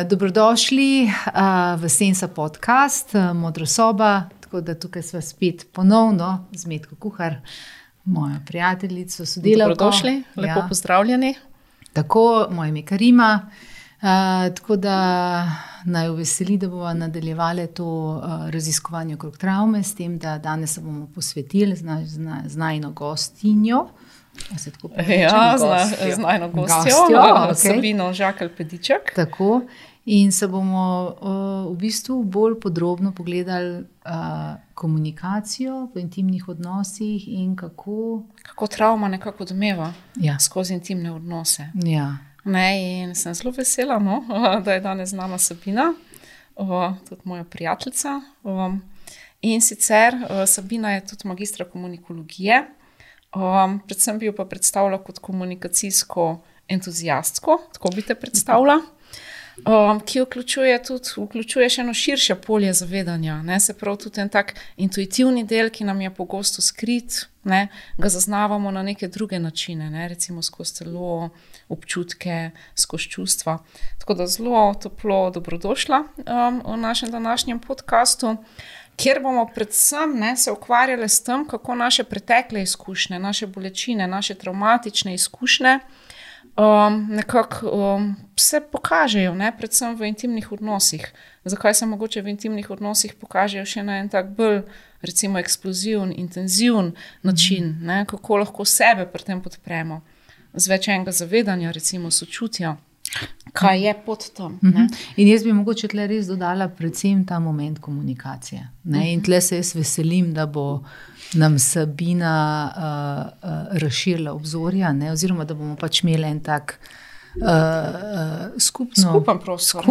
Dobrodošli v Sensa podcast, Modra soba, tako da tukaj sva spet ponovno z Metko Kuhar, mojo prijateljico, sodelavko. Dobrodošli, lepo pozdravljeni. Tako, moje ime Karima, tako da naj veseli, da bomo nadaljevali to raziskovanje okrog travme, s tem, da danes se bomo posvetili z najino gostinjo. Z najino gostjo, Sabino Žakelj-Pediček. Tako, in se bomo v bistvu bolj podrobno pogledali komunikacijo v intimnih odnosih in kako travma nekako odmeva skozi intimne odnose. Ja. In sem zelo vesela, da je danes z nama Sabina, tudi moja prijateljica. In sicer Sabina je tudi magistra komunikologije. Predvsem bi jo pa predstavila kot komunikacijsko entuzijastko, tako bi te predstavila, ki vključuje še eno širše polje zavedanja. Se pravi tudi en tak intuitivni del, ki nam je pogosto skrit, ga zaznavamo na neke druge načine, recimo skozi telo, občutke, skozi čustva. Tako da zelo toplo dobrodošla v našem današnjem podcastu, kjer bomo predvsem se ukvarjali s tem, kako naše pretekle izkušnje, naše bolečine, naše travmatične izkušnje nekako se pokažejo, predvsem v intimnih odnosih. Zakaj se mogoče v intimnih odnosih pokažejo še na en tak bolj, recimo, eksploziven, intenziven način, kako lahko sebe pri tem podpremo, z več enega zavedanja, recimo sočutja. Kaj je pod tem? In jaz bi mogoče tle res dodala predvsem ta moment komunikacije. In tle se jaz veselim, da bo nam Sabina razširila obzorja, oziroma da bomo pač imeli en tak skupen prostor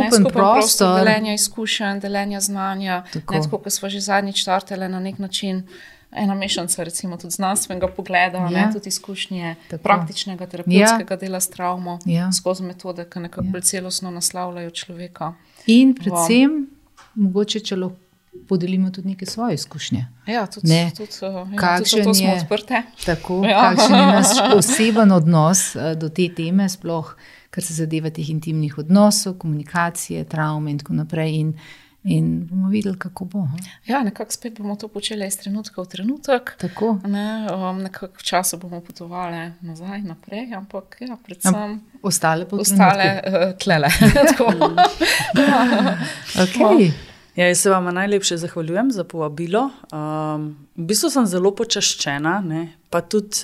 deljenja izkušenj, deljenja znanja. Tako, ko smo že zadnjič startali na nek način, ena mešanca, recimo tudi znanstvenega pogleda, tudi izkušnje praktičnega terapevtskega dela s travmo, skozi metode, ki nekako bolj celostno naslavljajo človeka. In predvsem, mogoče če lahko podelimo tudi neke svoje izkušnje. Tudi to smo odprte. Tako, kakšen je naš oseben odnos do te teme, sploh, kar se zadeva teh intimnih odnosov, komunikacije, travme in tako naprej. In bomo videli, kako bo. Nekako spet bomo to počeli iz trenutka v trenutek. Tako. Nekako v času bomo potovali nazaj, naprej, ampak predvsem ostale tlele. Okay. Jaz se vam najlepše zahvaljujem za povabilo. V bistvu sem zelo počaščena, pa tudi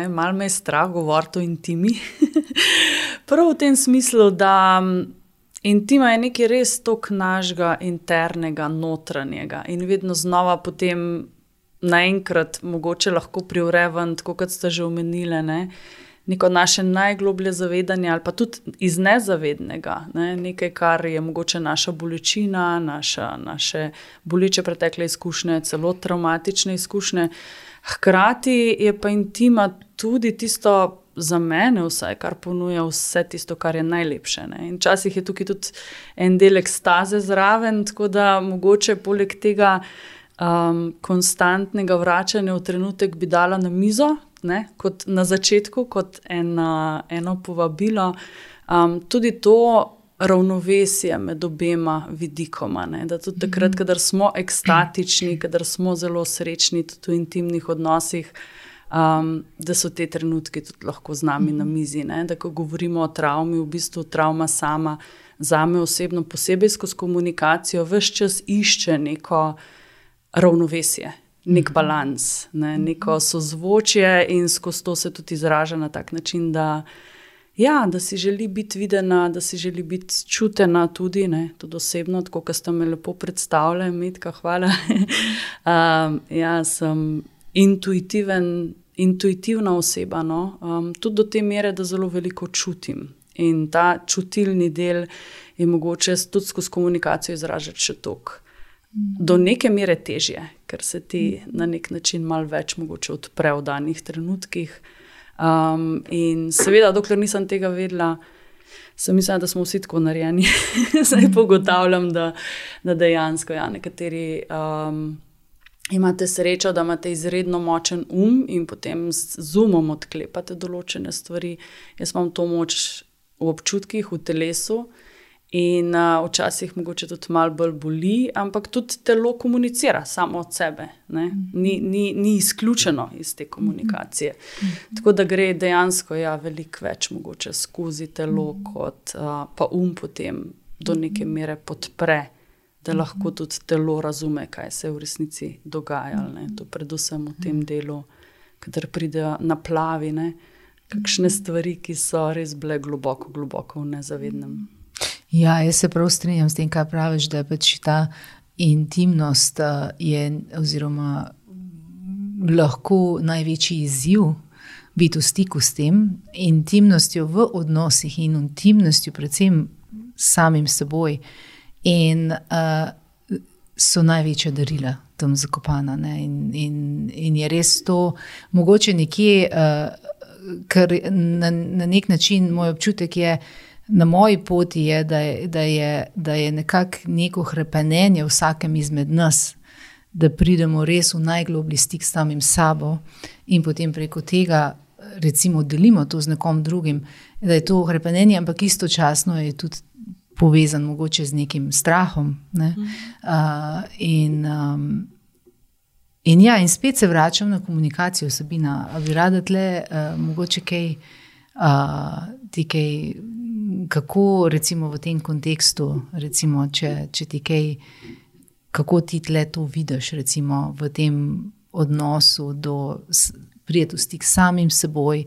malo me je strah govoriti o intimi. Prav v tem smislu, da intima je nekaj res toliko našega internega, notranjega in vedno znova potem naenkrat mogoče lahko privre ven, tako kot ste že omenili, neko naše najgloblje zavedanje ali pa tudi iz nezavednega, nekaj, kar je mogoče naša bolečina, naše boleče pretekle izkušnje, celo travmatične izkušnje. Hkrati je pa intima tudi tisto, za mene vsaj, kar ponuja vse tisto, kar je najlepše. In včasih je tukaj tudi en del ekstaze zraven, tako da mogoče poleg tega konstantnega vračanja v trenutek bi dala na mizo, kot na začetku, kot eno povabilo. Tudi to ravnovesje med obema vidikoma, da tudi takrat, kadar smo ekstatični, kadar smo zelo srečni tudi v intimnih odnosih, da so te trenutki tudi lahko z nami na mizi. Da ko govorimo o travmi, v bistvu travma sama zame osebno posebej skozi komunikacijo ves čas išče neko ravnovesje, nek balans, neko sozvočje in skozi to se tudi izraža na tak način, da si želi biti videna, da si želi biti čutena tudi osebno, tako kot ste me lepo predstavljali, Metka, hvala. Sem intuitivna oseba, tudi do te mere, da zelo veliko čutim. In ta čutilni del je mogoče tudi skozi komunikacijo izražati še toliko. Do neke mere težje, ker se ti na nek način malo več mogoče odpre v danih trenutkih. In seveda, dokler nisem tega vedela, sem mislila, da smo vsi tako narejeni. Zdaj pogotavljam, da dejansko nekateri imate srečo, da imate izredno močen in potem z umom odklepate določene stvari. Jaz imam to moč v občutkih, v telesu In včasih mogoče tudi malo bolj boli, ampak tudi telo komunicira samo od sebe. Ni izključeno iz te komunikacije. Tako da gre dejansko veliko več mogoče skozi telo, kot pa potem do neke mere podpre, da lahko tudi telo razume, kaj se v resnici dogaja. To predvsem v tem delu, kadar pridejo naplavi, kakšne stvari, ki so res bile globoko v nezavednem. Ja, jaz se prav strinjam s tem, kaj praviš, da je pač ta intimnost oziroma lahko največji izziv biti v stiku s tem, intimnostjo v odnosih in intimnostjo predvsem samim seboj. In so največja darila tam zakopana. In je res to mogoče nekje, ker na nek način moj občutek je, na moji poti je, da je nekako neko hrepenenje vsakem izmed nas, da pridemo res v najgloblji stik s samim sabo in potem preko tega recimo delimo to z nekom drugim, da je to hrepenenje, ampak istočasno je tudi povezan mogoče z nekim strahom. In spet se vračam na komunikacijo, Sabina. A bi rada tle mogoče kaj kako recimo v tem kontekstu, recimo, če ti kaj, kako ti tle to vidiš recimo v tem odnosu prijeti v stik samim seboj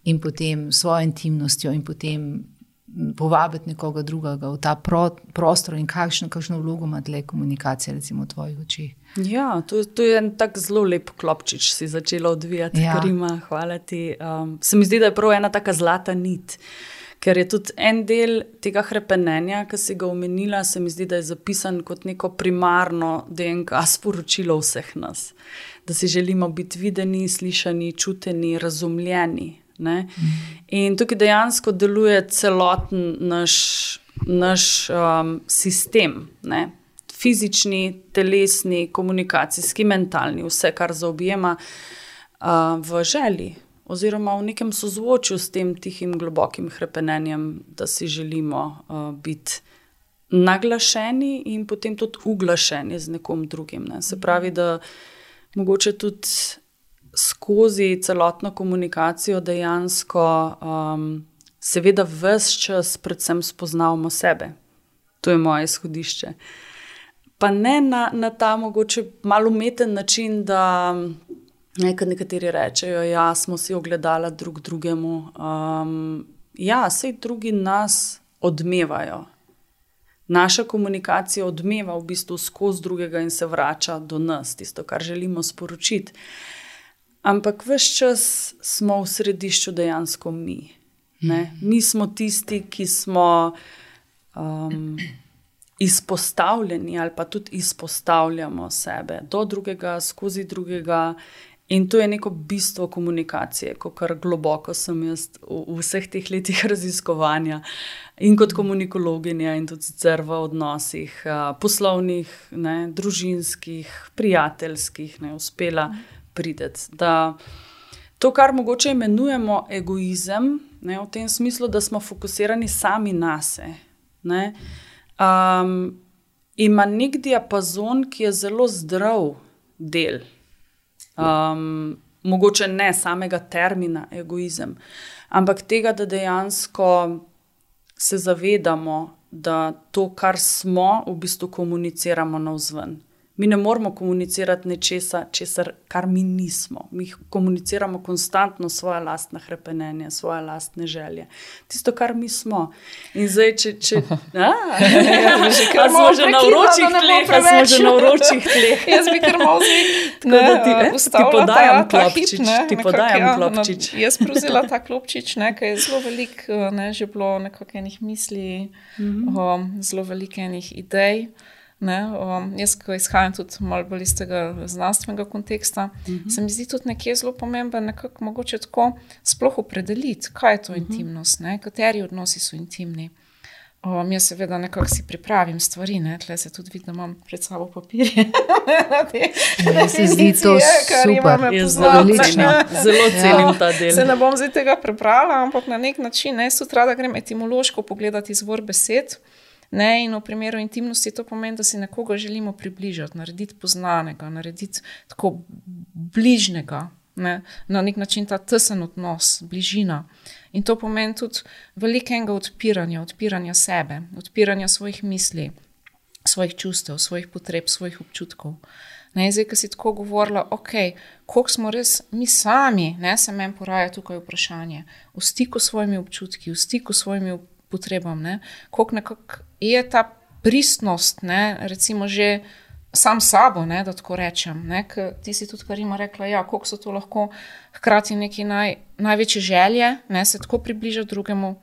in potem svojo intimnostjo in potem povabiti nekoga drugega v ta prostor in kakšno vlogo ima tle komunikacija recimo v tvojih očih. Ja, to je en tak zelo lep klopčič si začela odvijati, Karima, hvala ti. Se mi zdi, da je prav ena taka zlata nit, ker je tudi en del tega hrepenenja, ki si ga omenila, se mi zdi, da je zapisan kot neko primarno DNK sporočilo vseh nas. Da si želimo biti videni, slišani, čuteni, razumljeni. In tukaj dejansko deluje celoten naš sistem, fizični, telesni, komunikacijski, mentalni, vse, kar zaobjema v želji oziroma v nekem sozvočju s tem tihim globokim hrepenenjem, da si želimo biti naglašeni in potem tudi uglašeni z nekom drugim. Se pravi, da mogoče tudi skozi celotno komunikacijo dejansko seveda ves čas predvsem spoznavamo sebe. To je moje izhodišče. Pa ne na ta mogoče malo umeten način, da nekateri rečejo, ja, smo si ogledala drug drugemu. Ja, saj drugi nas odmevajo. Naša komunikacija odmeva v bistvu skozi drugega in se vrača do nas, tisto, kar želimo sporočiti. Ampak ves čas smo v središču dejansko mi. Mi smo tisti, ki smo izpostavljeni ali pa tudi izpostavljamo sebe do drugega, skozi drugega. In to je neko bistvo komunikacije, kar globoko sem jaz v vseh teh letih raziskovanja in kot komunikologinja in tudi sicer v odnosih poslovnih, družinskih, prijateljskih, uspela prideti. Da to, kar mogoče imenujemo egoizem, v tem smislu, da smo fokusirani sami nase, ima nek diapazon, ki je zelo zdrav del. Mogoče ne samega termina egoizem, ampak tega, da dejansko se zavedamo, da to, kar smo, v bistvu komuniciramo navzven. Mi ne moramo komunicirati nečesa, kar mi nismo. Mi komuniciramo konstantno svoje lastne hrepenenje, svoje lastne želje. Tisto, kar mi smo. In zdaj, če smo že na vročih tleh. Jaz bi kar malo ti podajam klopčič. Jaz prevzela ta klopčič, ki je zelo velik, že bilo nekako enih misli, zelo veliko enih idej. Jaz, ko izhajam tudi malo bolj iz tega znanstvenega konteksta, se mi zdi tudi nekje zelo pomembno nekako mogoče tako sploh opredeliti, kaj je to intimnost, kateri odnosi so intimni. Jaz seveda nekako si pripravim stvari, tle se tudi vidim, da imam pred sabo papirje. Se zdi to super, je zelo cenim ta del. Se ne bom zdaj tega prebrala, ampak na nek način, jaz tudi rada grem etimološko pogledati izvor besed. Ne? In v primeru intimnosti to pomeni, da si nekoga želimo približati, narediti poznanega, narediti tako bližnjega, ne? Na nek način ta tesen odnos, bližina. In to pomeni tudi velikega odpiranja sebe, odpiranja svojih misli, svojih čustev, svojih potreb, svojih občutkov. Ne, zdaj, ko si tako govorila, koliko smo res mi sami, ne, se meni poraja tukaj vprašanje, v stiku s svojimi občutki, v stiku s svojimi potrebami, ne, koliko nekako je ta pristnost, ne, recimo že sam sabo, ne, da tako rečem, ne, ti si tudi Karima rekla, ja, koliko so to lahko hkrati neki največje želje, ne, se tako približa drugemu,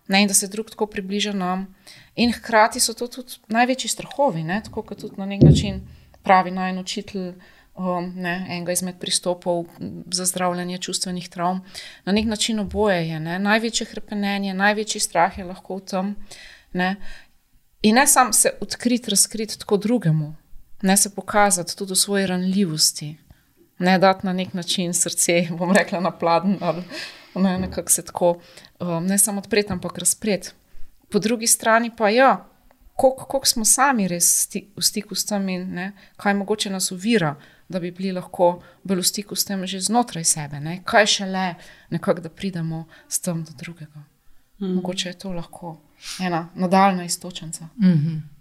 ne, in da se drug tako približa nam, in hkrati so to tudi največji strahovi, ne, tako kot tudi na nek način pravi najin učitelj, enega izmed pristopov za zdravljenje čustvenih travm. Na nek način oboje je, ne? Največje hrepenenje, največji strah je lahko v tem. Ne? In ne sam se odkriti, razkriti tako drugemu, ne se pokazati tudi v svoji ranljivosti, ne dati na nek način srce, bom rekla, na pladen, ali ne, nekako se tako, ne samo odpreti, ampak razpreti. Po drugi strani pa ja, koliko smo sami res v stiku s tem in ne, kaj mogoče nas ovira, da bi bili lahko bolj v stiku s tem že znotraj sebe, ne, kaj šele nekako, da pridemo s tem do drugega. Mogoče je to lahko ena nadaljna iztočnica.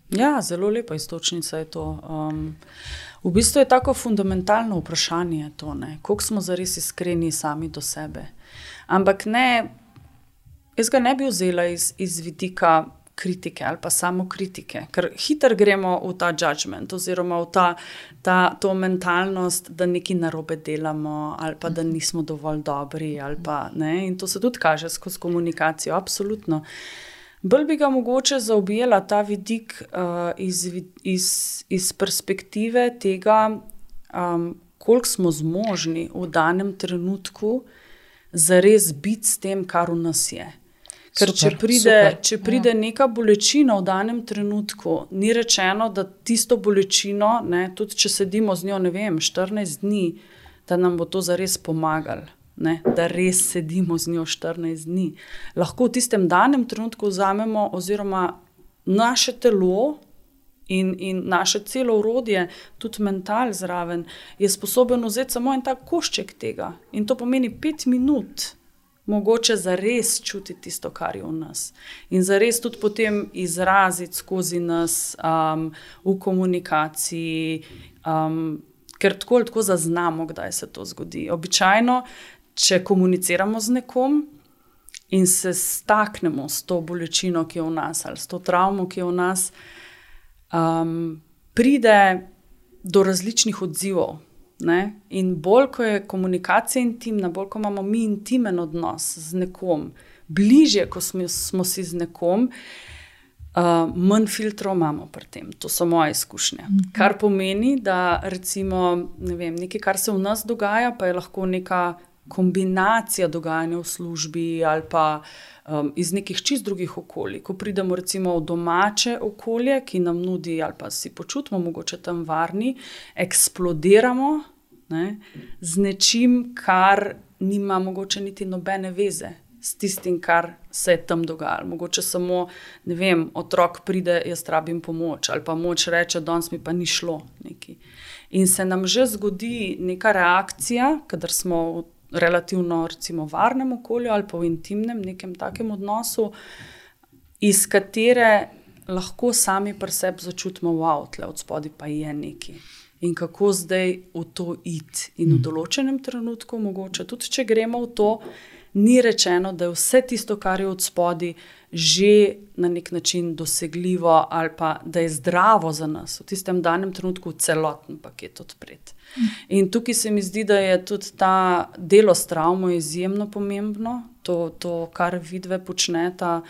Ja, zelo lepa iztočnica je to. V bistvu je tako fundamentalno vprašanje to, ne, koliko smo zares iskreni sami do sebe. Ampak ne, jaz ga ne bi vzela iz vidika kritike ali pa samo kritike, ker hitro gremo v ta judgment oziroma v to mentalnost, da nekaj narobe delamo ali pa da nismo dovolj dobri ali pa, ne, in to se tudi kaže skozi komunikacijo, absolutno. Bolj bi ga mogoče zaobjela ta vidik iz perspektive tega, koliko smo zmožni v danem trenutku zares biti s tem, kar v nas je. Ker če pride neka bolečina v danem trenutku, ni rečeno, da tisto bolečino, ne, tudi če sedimo z njo, ne vem, 14 dni, da nam bo to zares pomagalo, ne, da res sedimo z njo 14 dni. Lahko v tistem danem trenutku vzamemo oziroma naše telo in naše celo orodje, tudi mental zraven, je sposoben vzeti samo en tak košček tega. In to pomeni 5 minut, mogoče zares čutiti tisto, kar je v nas. In zares tudi potem izraziti skozi nas v komunikaciji, ker tako zaznamo, kdaj se to zgodi. Običajno, če komuniciramo z nekom in se staknemo s to bolečino, ki je v nas, ali s to travmo, ki je v nas, pride do različnih odzivov. Ne? In bolj, ko je komunikacija intimna, bolj, ko imamo mi intimen odnos z nekom, bližje, ko smo si z nekom, manj filtrov imamo pri tem. To so moje izkušnje. Kar pomeni, da recimo, ne vem, nekaj, kar se v nas dogaja, pa je lahko neka kombinacija dogajanja v službi ali pa iz nekih čist drugih okolij. Ko pridemo recimo v domače okolje, ki nam nudi ali pa si počutimo mogoče tam varni, eksplodiramo, ne, z nečim, kar nima mogoče niti nobene veze s tistim, kar se je tam dogajalo. Mogoče samo, ne vem, otrok pride, jaz rabim pomoč, ali pa moč reče, danes mi pa ni šlo nekaj. In se nam že zgodi neka reakcija, kadar smo v relativno recimo varnem okolju ali pa v intimnem nekem takem odnosu, iz katere lahko sami pri sebi začutimo, wow, tle od spodaj pa je nekaj. In kako zdaj v to iti. In v določenem trenutku, mogoče tudi če gremo v to, ni rečeno, da je vse tisto, kar je od spodaj, že na nek način dosegljivo ali pa da je zdravo za nas. V tistem danem trenutku celoten paket odpret. In tukaj se mi zdi, da je tudi ta delo s travmo izjemno pomembno. To kar vidve počneta,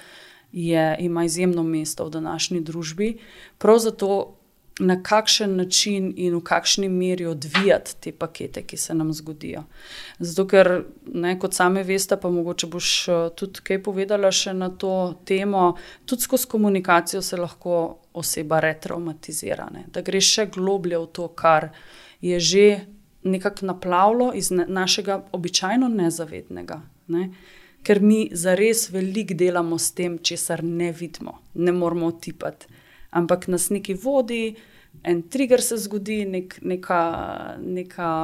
ima izjemno mesto v današnji družbi. Prav zato, na kakšen način in v kakšni meri odvijati te pakete, ki se nam zgodijo. Zato, ker, ne, kot same veste, pa mogoče boš tudi kaj povedala še na to temo, tudi skozi komunikacijo se lahko oseba retraumatizira, ne, da gre še globlje v to, kar je že nekako naplavilo iz našega običajno nezavednega, ne, ker mi zares veliko delamo s tem, česar ne vidimo, ne moramo otipati. Ampak nas nekaj vodi, en trigger se zgodi, neka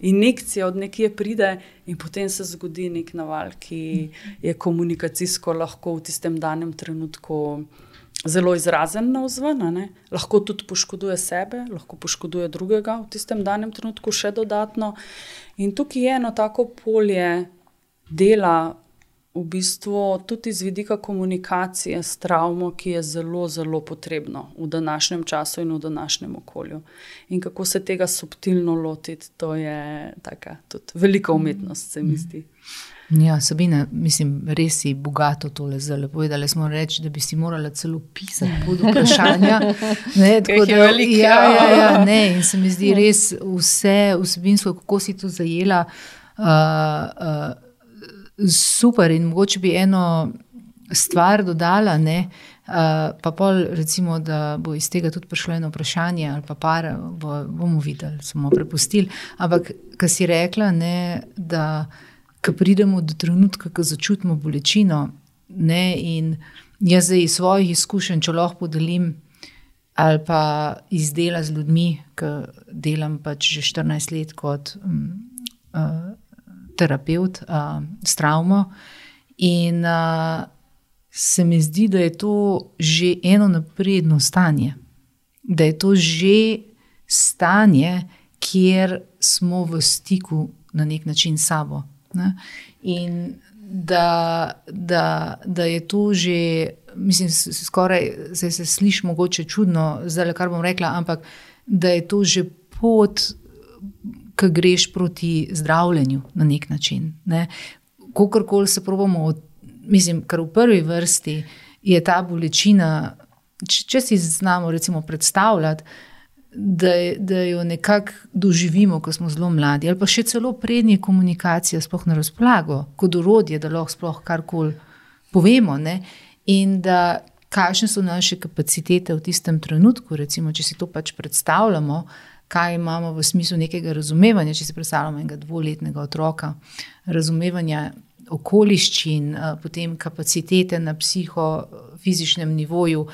injekcija od nekje pride in potem se zgodi nek naval, ki je komunikacijsko lahko v tistem danem trenutku zelo izrazen navzven, ne? Lahko tudi poškoduje sebe, lahko poškoduje drugega v tistem danem trenutku še dodatno. In tukaj je eno tako polje dela v bistvu tudi z vidika komunikacije s travmo, ki je zelo, zelo potrebno v današnjem času in v današnjem okolju. In kako se tega subtilno lotiti, to je taka tudi velika umetnost, se mi zdi. Ja, Sabina, mislim, res si bogato tole zelo povedala. Smo reči, da bi si morala celo pisati pod vprašanja. Ne, tako da, ja, ne, in se mi zdi res vse vsebinsko, kako si to zajela, super. In mogoče bi eno stvar dodala, ne, pa pol recimo, da bo iz tega tudi prišlo eno vprašanje ali pa par, bomo videli, smo prepustili. Ampak, ko si rekla, ne, da ko pridemo do trenutka, ko začutimo bolečino, ne, in jaz zdaj iz svojih izkušenj, če lahko podelim, ali pa iz dela z ljudmi, ko delam pač že 14 let kot terapeut s travmo, in se mi zdi, da je to že eno napredno stanje. Da je to že stanje, kjer smo v stiku na nek način s sabo. Ne? In da je to že, mislim, skoraj se sliši mogoče čudno, zdaj, kar bom rekla, ampak da je to že pot, ko greš proti zdravljenju na nek način. Ne? Kokorkoli se probamo, mislim, kar v prvi vrsti je ta bolečina, če si znamo recimo predstavljati, da jo nekako doživimo, ko smo zelo mladi, ali pa še celo prednje komunikacija sploh na razpolago, kot orodje, da lahko sploh karkoli povemo, ne? In da kakšne so naše kapacitete v tistem trenutku, recimo, če si to pač predstavljamo, kaj imamo v smislu nekega razumevanja, če si predstavljamo enega 2-letnega otroka, razumevanja okoliščin, potem kapacitete na psihofizičnem nivoju,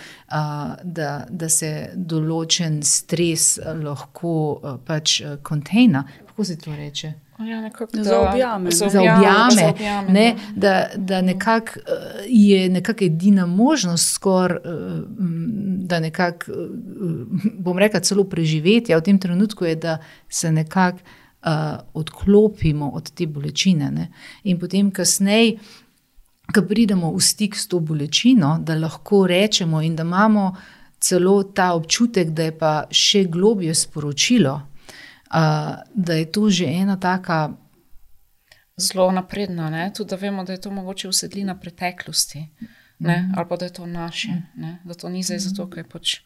da se določen stres lahko pač kontejna. Kako se to reče? Ja, zaobjame, ne, da nekako je nekako edina možnost skoraj, da nekako, bom rekla, celo preživetja v tem trenutku je, da se nekako odklopimo od te bolečine. Ne. In potem kasneje, ko pridemo v stik s to bolečino, da lahko rečemo in da imamo celo ta občutek, da je pa še globje sporočilo, da je to že ena taka zelo napredna, ne? Tudi da vemo, da je to mogoče usedlina preteklosti, ne? Ali pa da je to naše, ne? Da to ni zdaj zato, ker je pač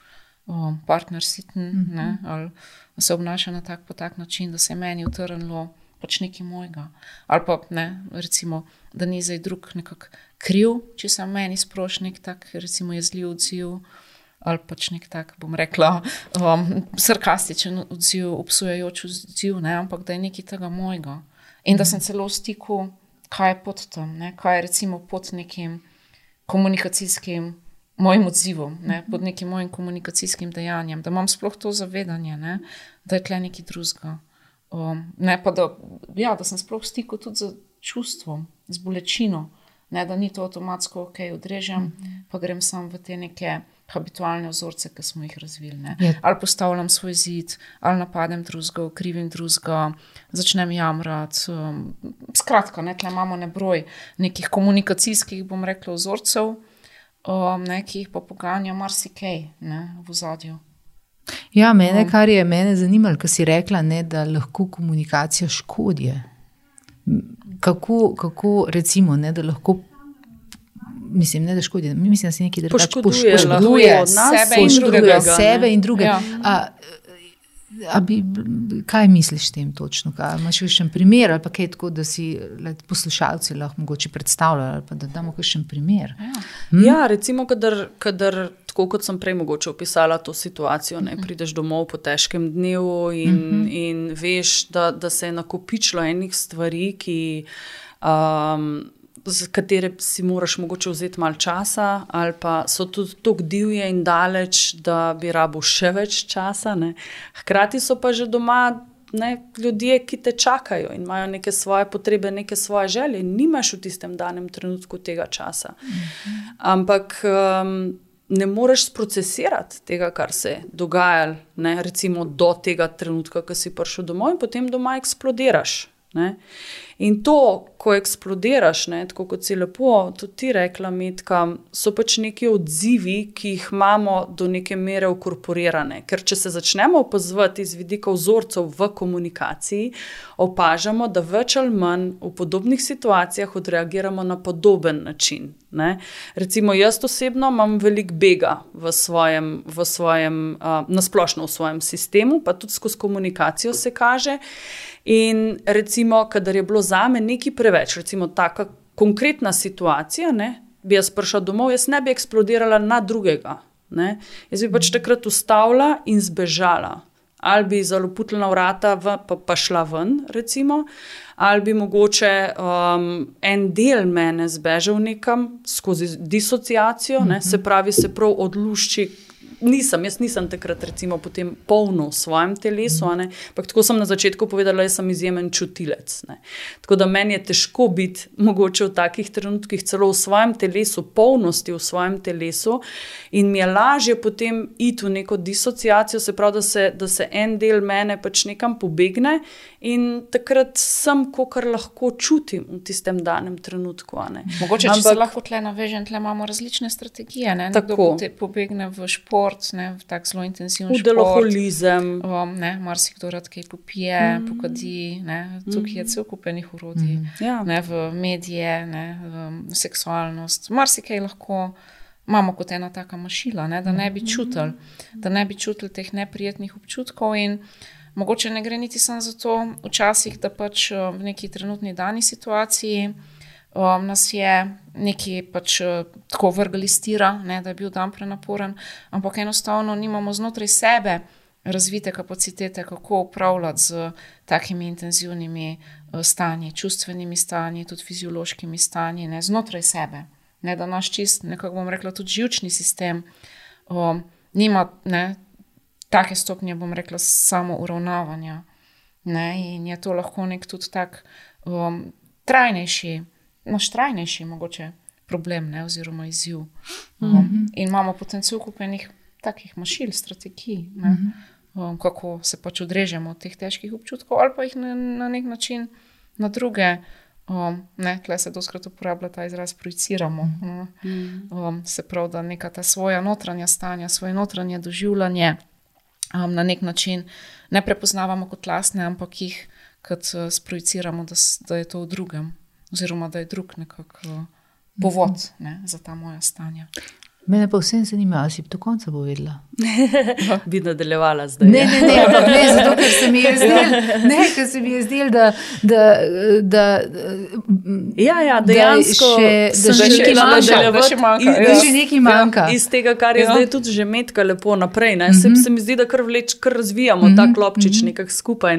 partner siten, ne? Ali se obnaša na tak način, da se je meni utrnilo pač nekaj mojega. Ali pa, ne, recimo, da ni zdaj drug nekako kriv, če se meni sproši nek tak, recimo, jezljiv odziv, ali pač nek tak, bom rekla, sarkastičen odziv, obsojajoč odziv, ne, ampak da je nekaj tega mojega. In da sem celo v stiku, kaj je pod tem, ne, kaj je recimo pod nekim komunikacijskim mojim odzivom, ne, pod nekim mojim komunikacijskim dejanjem, da imam sploh to zavedanje, ne, da je tle nekaj drugega. Ne, pa da, ja, da sem sploh v stiku tudi z čustvom, z bolečino, ne, da ni to avtomatsko, ok, odrežem, pa grem sam v te neke habitualne vzorce, ki smo jih razvili, ne. Ali postavljam svoj zid, ali napadem drugega, krivim drugega, začnem jamrati. Skratka, ne, tle imamo nebroj nekih komunikacijskih, bom rekla, vzorcev, ne, ki jih pa poganja marsikaj, ne, v ozadju. Ja, kar je mene zanimalo, ko si rekla, ne, da lahko komunikacija škodje. Kako recimo, ne, da lahko, mislim, ne da škodi, mislim, da se nekaj poškoduje sebe in druge. Ja. Kaj misliš tem točno? Imaš kakšen primer ali pa kaj tako, da si poslušalci lahko mogoče predstavljajo ali pa da damo kakšen primer? Ja, recimo, kadar tako kot sem prej mogoče opisala to situacijo, ne, prideš domov po težkem dnevu in veš, da se je nakopičilo enih stvari, ki za katere si moraš mogoče vzeti malo časa, ali pa so tudi tako divje in daleč, da bi rabo še več časa. Ne. Hkrati so pa že doma ljudje, ki te čakajo in imajo neke svoje potrebe, neke svoje želje in nimaš v tistem danem trenutku tega časa. Ampak ne moreš sprocesirati tega, kar se je dogajalo, recimo do tega trenutka, ko si prišel domov in potem doma eksplodiraš. Ne? In to, ko eksplodiraš, tako kot si lepo tudi ti rekla, Metka, so pač neki odzivi, ki jih imamo do neke mere vkorporirane. Ker če se začnemo opazovati iz vidika vzorcev v komunikaciji, opažamo, da več ali manj v podobnih situacijah odreagiramo na podoben način. Ne? Recimo jaz osebno imam veliko bega v svojem nasplošno v svojem sistemu, pa tudi skozi komunikacijo se kaže. In recimo, kadar je bilo zame nekaj preveč, recimo taka konkretna situacija, bi jaz prišla domov, jaz ne bi eksplodirala na drugega. Ne? Jaz bi pač takrat ustavila in zbežala. Ali bi zaloputila vrata pa šla ven, recimo, ali bi mogoče en del mene zbežal nekam skozi disociacijo, se pravi, se prav odlušči. Jaz nisem takrat recimo potem polno v svojem telesu, ampak tako sem na začetku povedala, jaz sem izjemen čutilec. Tako da meni je težko biti mogoče v takih trenutkih celo v svojem telesu, polnosti v svojem telesu in mi je lažje potem iti v neko disociacijo, se pravi, da se en del mene pač nekam pobegne in takrat sem, kakor lahko čutim v tistem danem trenutku. Mogoče, če se lahko tle navežem, tle imamo različne strategije. Nekdo pobegne v šport, v tak zelo intenziven šport. V deloholizem. Marsikdo rad kaj popije, pokadi. Tukaj je cel kupenih orodij. V medije, v seksualnost. Marsikaj lahko imamo kot ena taka mašila, da ne bi čutili. Da ne bi čutili teh neprijetnih občutkov in mogoče ne gre niti samo zato včasih, da pač v neki trenutni dani situaciji nas je nekaj pač tako vrgli stira, da je bil dan prenaporen, ampak enostavno nimamo znotraj sebe razvite kapacitete, kako upravljati z takimi intenzivnimi stanji, čustvenimi stanji, tudi fiziološkimi stanji, znotraj sebe. Da naš čist, nekako bom rekla, tudi živčni sistem nima take stopnje, bom rekla, samo uravnavanja. In je to lahko nek tudi tak trajnejši mogoče problem, oziroma izziv. In imamo potencial kupenih takih mašil, strategij, kako se pač odrežemo od teh težkih občutkov ali pa jih na nek način na druge. Tle se doskrat uporablja ta izraz projiciramo. Se pravi, da neka ta svoja notranja stanja, svoje notranje doživljanje na nek način ne prepoznavamo kot lastne, ampak jih kot sprojiciramo, da je to v drugem, oziroma da je drug nekako povod za ta moja stanja. Mene pa vsem zanima, ali si do konca povedala? Bi nadaljevala zdaj. Ne, zato, ker se mi je zdel, da dejansko še nekaj manjka. Iz tega, kar je zdaj tudi že Metka lepo naprej. Se mi zdi, da kar razvijamo ta klopčič nekako skupaj.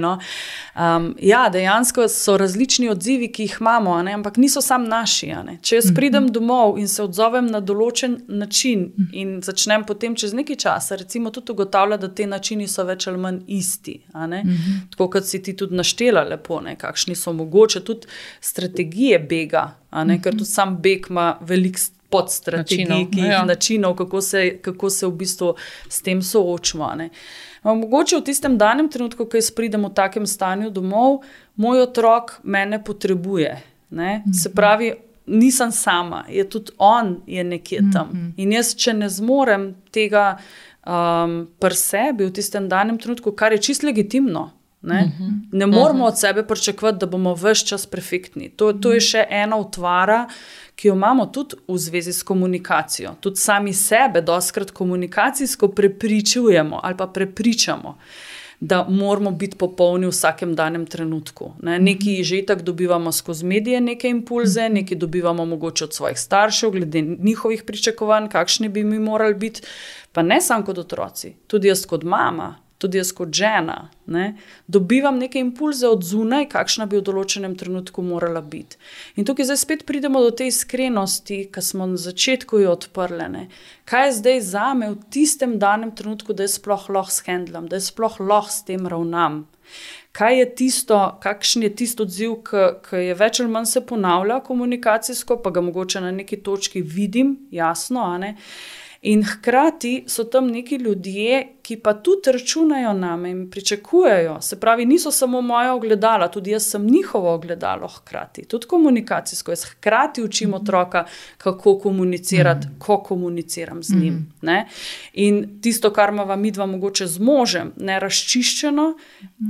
Dejansko so različni odzivi, ki jih imamo, ampak niso sam naši. Če jaz pridem domov in se odzovem na določen način in začnem potem čez nekaj časa recimo tudi ugotavljati, da te načini so več ali manj isti. Tako kot si ti tudi naštela lepo, kakšni so mogoče tudi strategije bega, ker tudi sam beg ima veliko podstrategij, načinov, kako se v bistvu s tem soočimo. Mogoče v tistem danem trenutku, ko jaz pridem v takem stanju domov, moj otrok mene potrebuje. Se pravi, nisem sama, je tudi on je nekje tam. In jaz, če ne zmorem tega pri sebi v tistem danem trenutku, kar je čisto legitimno, ne moramo od sebe pričakovati, da bomo ves čas perfektni. To je še ena utvara, ki jo imamo tudi v zvezi s komunikacijo. Tudi sami sebe dostikrat komunikacijsko prepričujemo ali pa prepričamo, da moramo biti popolni v vsakem danem trenutku. Nekaj že tako dobivamo skozi medije, neke impulze, nekaj dobivamo mogoče od svojih staršev, glede njihovih pričakovanj, kakšni bi mi morali biti, pa ne samo kot otroci, tudi jaz kot mama. tudi jaz kot žena, ne, dobivam neke impulze od zunaj, kakšna bi v določenem trenutku morala biti. In tukaj zdaj spet pridemo do te iskrenosti, ki smo na začetku jo odprli. Ne. Kaj je zdaj zame v tistem danem trenutku, da jaz sploh lahko shendlam, da jaz sploh lahko s tem ravnam. Kaj je tisto, kakšen je tisto odziv, ki je več ali manj se ponavlja komunikacijsko, pa ga mogoče na neki točki vidim, jasno, a ne? In hkrati so tam neki ljudje, ki pa tudi računajo name in pričakujejo. Se pravi, niso samo moja ogledala, tudi jaz sem njihovo ogledalo hkrati. Tudi komunikacijsko. Jaz hkrati učim otroka, kako komunicirati, ko komuniciram z njim. Ne? In tisto, kar imava midva mogoče z možem, nerazčiščeno,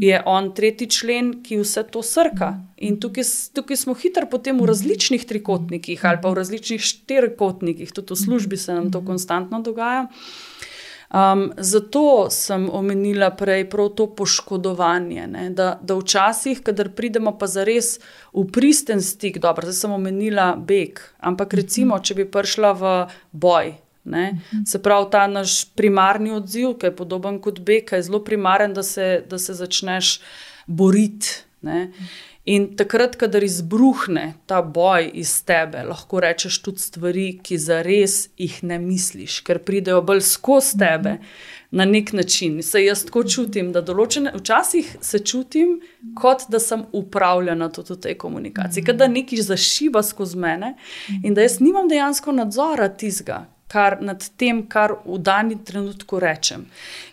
je on 3. člen, ki vse to srka. In tukaj smo hitro potem v različnih trikotnikih ali pa v različnih 4-kotnikih. Tudi v službi se nam to konstantno dogaja. Zato sem omenila prej prav to poškodovanje, ne? Da včasih, kadar pridemo pa zares v pristen stik, dobro, zdaj sem omenila beg, ampak recimo, če bi prišla v boj, ne? Se pravi, ta naš primarni odziv, ki je podoben kot beg, je zelo primaren, da se začneš boriti, ne? In takrat, kadar izbruhne ta boj iz tebe, lahko rečeš tudi stvari, ki zares jih ne misliš, ker pridejo bolj skozi tebe na nek način. Se jaz tako čutim, da včasih se čutim, kot da sem upravljena tudi v tej komunikaciji, kot da nekaj zašiba skozi mene in da jaz nimam dejansko nadzora tistega, nad tem, kar v dani trenutku rečem.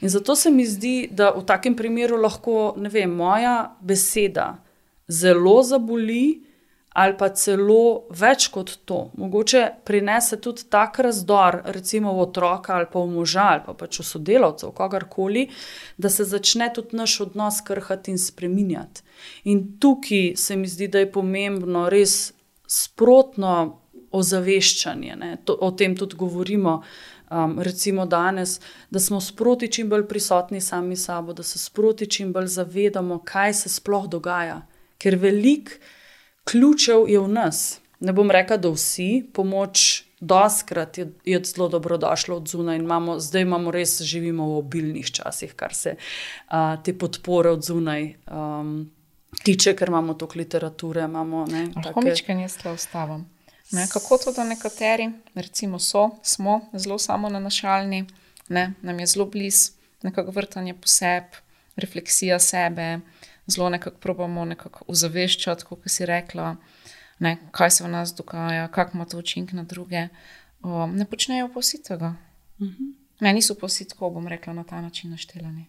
In zato se mi zdi, da v takem primeru lahko, ne vem, moja beseda zelo zaboli ali pa celo več kot to. Mogoče prinese tudi tak razdor, recimo v otroka ali pa v moža ali pa pač v sodelavcev, kogarkoli, da se začne tudi naš odnos krhati in spreminjati. In tukaj se mi zdi, da je pomembno res sprotno ozaveščanje, ne? O tem tudi govorimo, recimo danes, da smo sproti čim bolj prisotni sami sabo, da se sproti čim bolj zavedamo, kaj se sploh dogaja. Ker veliko ključev je v nas. Ne bom rekla, da vsi, pomoč doskrat je zelo dobrodošla od zunaj in zdaj res živimo v obilnih časih, kar se te podpore od zunaj tiče, ker imamo toliko literature. Lahko mičkaj jaz tle ustavim. Kako to, da nekateri, recimo smo zelo samonanašalni, nam je zelo blizu nekako vrtanje po sebi, refleksija sebe, zelo nekako probamo nekako ozaveščati, kot si rekla, kaj se v nas dogaja, kako ima to učink na druge. Ne počnejo pa vsi tega. Niso pa vsi tako, bom rekla, na ta način naštelani.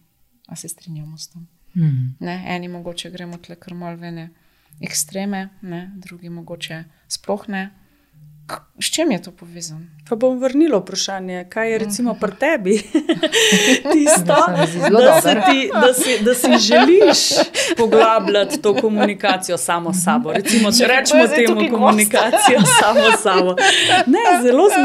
A se strinjamo s tem? Eni mogoče gremo tle kar malo vene ekstreme, drugi mogoče sploh ne. S čem je to povezano? Pa bom vrnila vprašanje, kaj je recimo pri tebi tisto, da si želiš poglabljati to komunikacijo samo s sabo. Recimo, če rečemo temu komunikacijo samo s sabo. Ne,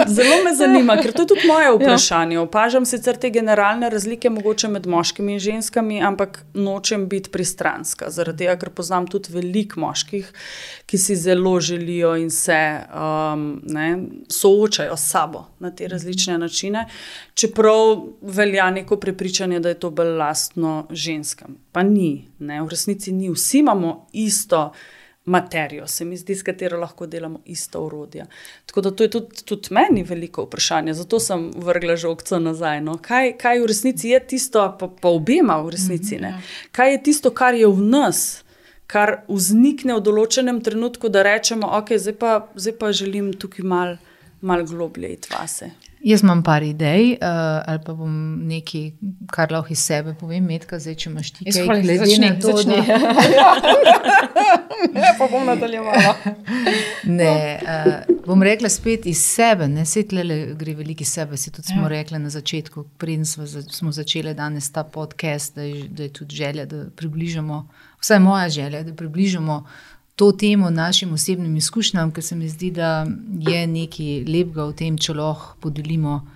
zelo me zanima, ker to je tudi moje vprašanje. Opažam sicer te generalne razlike mogoče med moškimi in ženskami, ampak nočem biti pristranska. Zaradi tega, ker poznam tudi veliko moških, ki si zelo želijo in se soočajo s sabo na te različne načine, čeprav velja neko prepričanje, da je to bolj lastno ženskam. Pa ni, v resnici ni. Vsi imamo isto materijo, se mi zdi, s katero lahko delamo isto orodje. Tako da to je tudi meni veliko vprašanje, zato sem vrgla žogco nazaj. Kaj v resnici je tisto, pa obema v resnici, kaj je tisto, kar je v nas, kar vznikne v določenem trenutku, da rečemo, ok, zdaj pa želim tukaj malo globlje iti vase. Jaz imam par idej, ali pa bom nekaj, kar lahko iz sebe povem, Metka, zdaj, če imaš ti kaj glede na to, Ja, pa bom nadaljevala. Ne, bom rekla spet iz sebe, saj tlele gre veliki sebe, si tudi smo rekli na začetku, preden smo začeli danes ta podcast, da je tudi želja, da približamo, vsaj moja želja, da približamo to temo našim osebnim izkušnjam, ker se mi zdi, da je nekaj lepega v tem, če lahko podelimo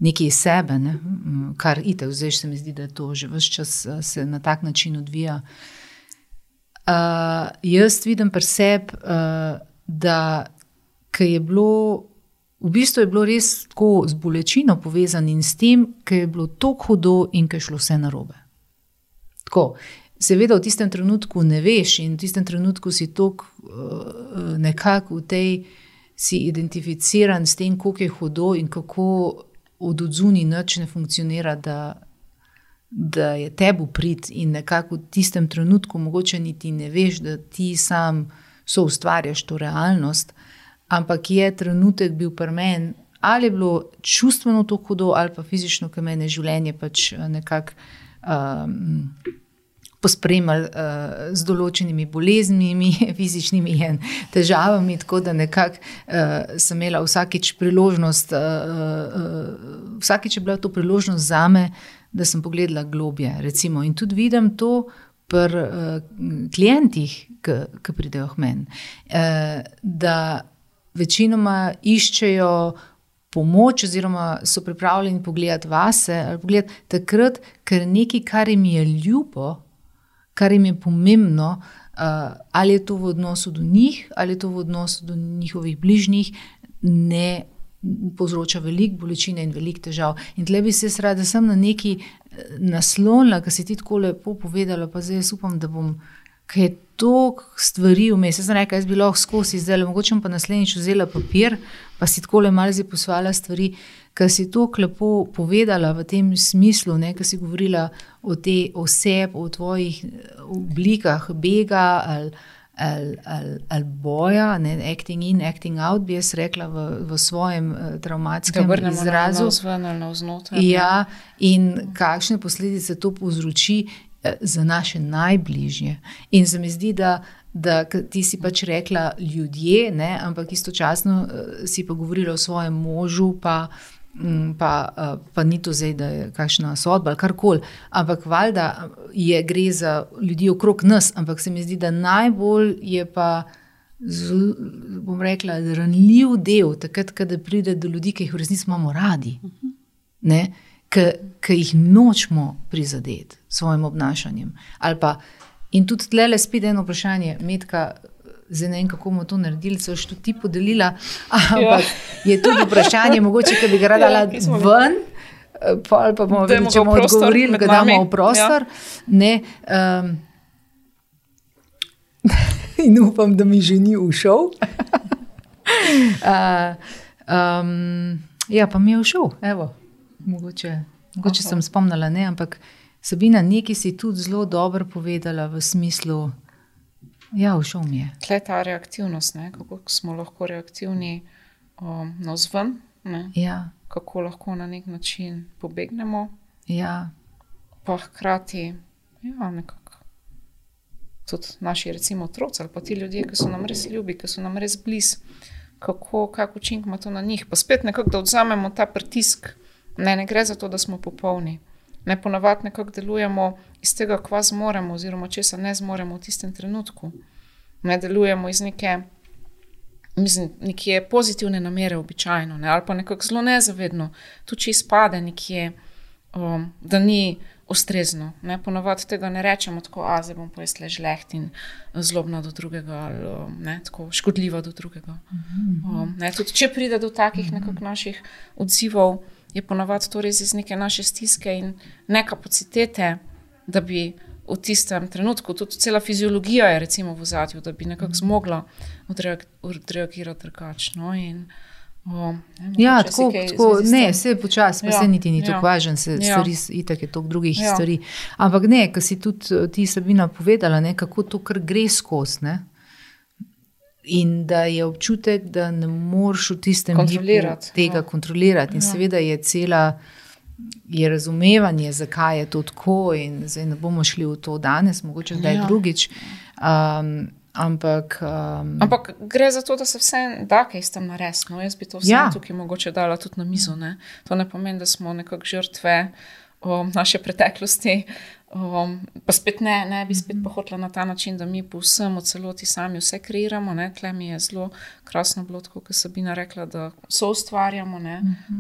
nekaj iz sebe, kar itak, zdaj se mi zdi, da to že ves čas se na tak način odvija. Jaz vidim pri sebi, da ker je bilo, v bistvu je bilo res tako z bolečino povezan in s tem, ker je bilo toliko hudo in ker je šlo vse narobe. Tako, seveda v tistem trenutku ne veš in v tistem trenutku si toliko nekako v tej, si identificiran s tem, koliko je hudo in kako od odzuni nič ne funkcionira, da je tebi prid in nekako v tistem trenutku mogoče niti ne veš, da ti sam soustvarjaš to realnost, ampak je trenutek bil pri meni, ali je bilo čustveno to hudo, ali pa fizično, ker mene življenje pač nekako pospremljali z določenimi boleznimi, fizičnimi in težavami, tako da nekako sem imela vsakič priložnost, vsakič je bila to priložnost zame, da sem pogledala globje, recimo. In tudi vidim to pri klientih, ki pridejo k meni, da večinoma iščejo pomoč oziroma so pripravljeni pogledati vase ali pogledati takrat, ker nekaj, kar jim je ljubo, kar jim je pomembno, ali je to v odnosu do njih, ali je to v odnosu do njihovih bližnjih, ne povzroča veliko bolečine in veliko težav. In tle bi se rada sem na neki naslonila, ki si ti tako lepo povedala, pa zdaj jaz upam, da bom, kaj je toliko stvari vmes. Jaz sem rekla, jaz bi lahko skozi zdaj, mogoče pa naslednjič vzela papir, pa si tako malo zdaj posvala stvari, ker si toliko lepo povedala v tem smislu, ker si govorila o te oseb, o tvojih oblikah bega ali boja, acting in, acting out, bi jaz rekla v svojem travmatskem izrazu. Ja, in kakšne posledice to povzroči za naše najbližje. In se mi zdi, da ti si pač rekla ljudje, ampak istočasno si pa govorila o svojem možu, pa ni to zdaj, da je kakšna sodba ali karkoli, ampak valjda gre za ljudi okrog nas, ampak se mi zdi, da najbolj je pa, bom rekla, ranljiv del, takrat, kada pride do ljudi, ki jih v resnici imamo radi, ki jih nočemo prizadeti s svojim obnašanjem. In tudi tlele spet eno vprašanje, Metka, zdaj ne vem, kako bomo to naredili, so še ti podelila, ampak je tudi vprašanje, mogoče, ki bi ga rada ven, ali pa bomo vedeli, če bomo odgovorili, ga damo v prostor. In upam, da mi že ni ušel. Ja, pa mi je ušel, evo, mogoče sem spomnila, ampak Sabina, nekaj si tudi zelo dobro povedala v smislu, ja, všel mi je. Tle ta reaktivnost, kako smo lahko reaktivni navzven, ja. Kako lahko na nek način pobegnemo, ja. Pa hkrati nekako tudi naši recimo otroci ali pa ti ljudje, ki so nam res ljubi, ki so nam res blizu, kak učinek ima to na njih. Pa spet nekako, da odzamemo ta pritisk, ne gre za to, da smo popolni. Ponavadi nekako delujemo iz tega, kva zmoremo oziroma česa ne zmoremo v tistem trenutku. Ne delujemo iz neke pozitivne namere običajno, ali pa nekako zelo nezavedno. Tu če izpade nekje, da ni ustrezno. Ponavadi tega ne rečemo tako, zdaj bom pa jaz le žleht in zlobna do drugega ali tako škodljiva do drugega. Tudi če pride do takih nekako naših odzivov, je ponavadi to res iz neke naše stiske in ne kapacitete, da bi v tistem trenutku, tudi cela fiziologija je recimo v ozadju, da bi nekako zmogla odreagirati drugačno. Ja, tako, ne, vse počasi, pa se niti ni tako važen, stvari, itak je toliko drugih stvari. Ampak ne, ko si tudi ti, Sabina, povedala, kako to kar gre skozi, in da je občutek, da ne moreš v tistem tega kontrolirati. In seveda je razumevanje, zakaj je to tako in zdaj ne bomo šli v to danes, mogoče zdaj drugič. Ampak gre za to, da se vse da kaj s tem narediti. Jaz bi to vse tukaj mogoče dala tudi na mizo. To ne pomeni, da smo nekako žrtve naše preteklosti, pa spet ne bi spet pohotila na ta način, da mi povsem od celoti sami vse kreiramo. Tle mi je zelo krasno bilo, tako kot Sabina rekla, da soustvarjamo,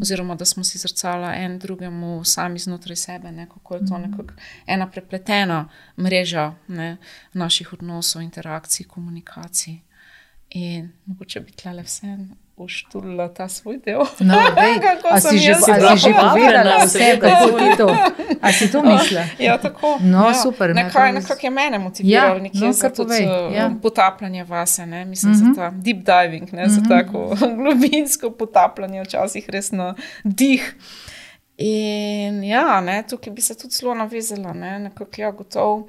oziroma da smo si zrcala en drugemu sami znotraj sebe, kako je to nekako ena prepletena mreža naših odnosov, interakcij, komunikacij. In mogoče bi tlele vse poštulila ta svoj del. No, a si že povedala vse, kako ti to? A si to mislila? Ja, tako. No, super. Nekako je mene motiviralo nekje za tudi potapljanje vase, ne? Mislim, za ta deep diving, ne? Za tako globinsko potapljanje, včasih res na dih. In ja, ne, tukaj bi se tudi zelo navezala, ne? Nekako ja, gotov.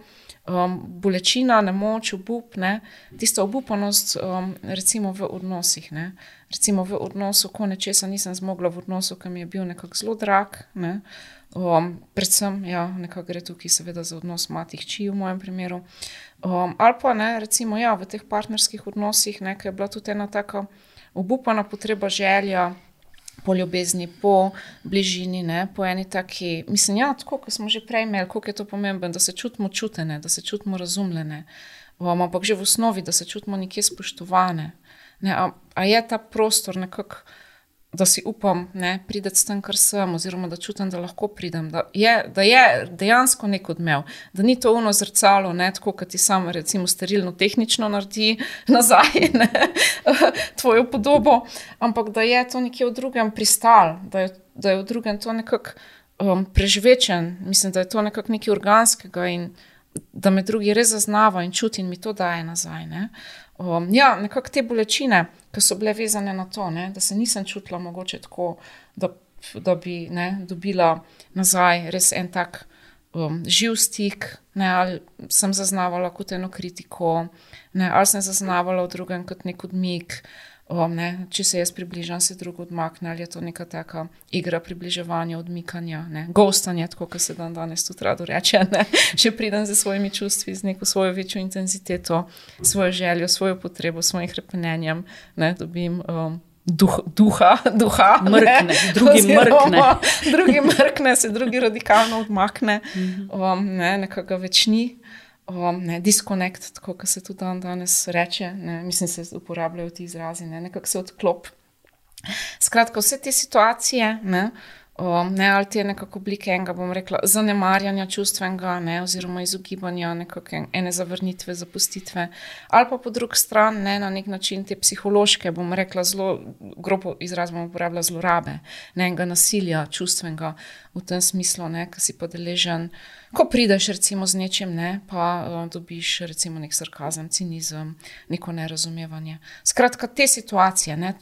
Bolečina, nemoč, obup, ne? Tista obupanost, recimo v odnosih, ne? Recimo v odnosu, ko nečesa nisem zmogla v odnosu, ki mi je bil nekako zelo drag, ne? Predvsem, ja, nekako gre tukaj seveda za odnos mati-hči v mojem primeru. Ali pa, ne, recimo, ja, v teh partnerskih odnosih, ne, ki je bila tudi ena taka obupana potreba, želja po ljubezni, po bližini, ne, po eni taki, mislim, ja, tako, ko smo že prej imeli, koliko je to pomembno, da se čutimo čutene, da se čutimo razumljene, ampak že v osnovi, da se čutimo nekje spoštovane. Ne, a je ta prostor nekako, da si upam, ne, prideti s tem, kar sem, oziroma da čutim, da lahko pridem, da je dejansko nek odmev, da ni to ono zrcalo, ne, tako, kot ti sam recimo sterilno tehnično naredi nazaj, ne, tvojo podobo, ampak da je to nekje v drugem pristal, da je v drugem to nekako preživečen, mislim, da je to nekako nekaj organskega in da me drugi res zaznava in čuti in mi to daje nazaj, ne. Ja, nekako te bolečine, ki so bile vezane na to, ne, da se nisem čutila mogoče tako, da bi, ne, dobila nazaj res en tak živ stik, ne, ali sem zaznavala kot eno kritiko, ne, ali sem zaznavala v drugem kot nek odmik, ne, če se jaz približam, se drug odmakne, ali je to neka taka igra približevanja, odmikanja, ne, ghostanje, tako, kot se danes tudi rado reče, ne, še pridem za svojimi čustvi, z neko svojo večjo intenziteto, svojo željo, svojo potrebo, svojim hrepenenjem, ne, dobim duha, mrkne, drugi mrkne, se drugi radikalno odmakne, ne, nekako več ni. Ne, disconnect, tako, kot se tudi danes reče, ne, mislim, se uporabljajo ti izrazi, ne, nekako se odklop. Skratka, vse te situacije, ne, ali te nekako oblike enega, bom rekla, zanemarjanja čustvenega, ne, oziroma izogibanja nekako ene zavrnitve, zapustitve, ali pa po drugi strani, ne, na nek način te psihološke, bom rekla, zelo grobo izraz bom uporabila, zlorabe, ne, enega nasilja čustvenega v tem smislu, ne, ki si pa deležen, ko prideš recimo z nečim, ne, pa dobiš recimo nek sarkazem, cinizem, neko nerazumevanje. Skratka, te situacije, ne,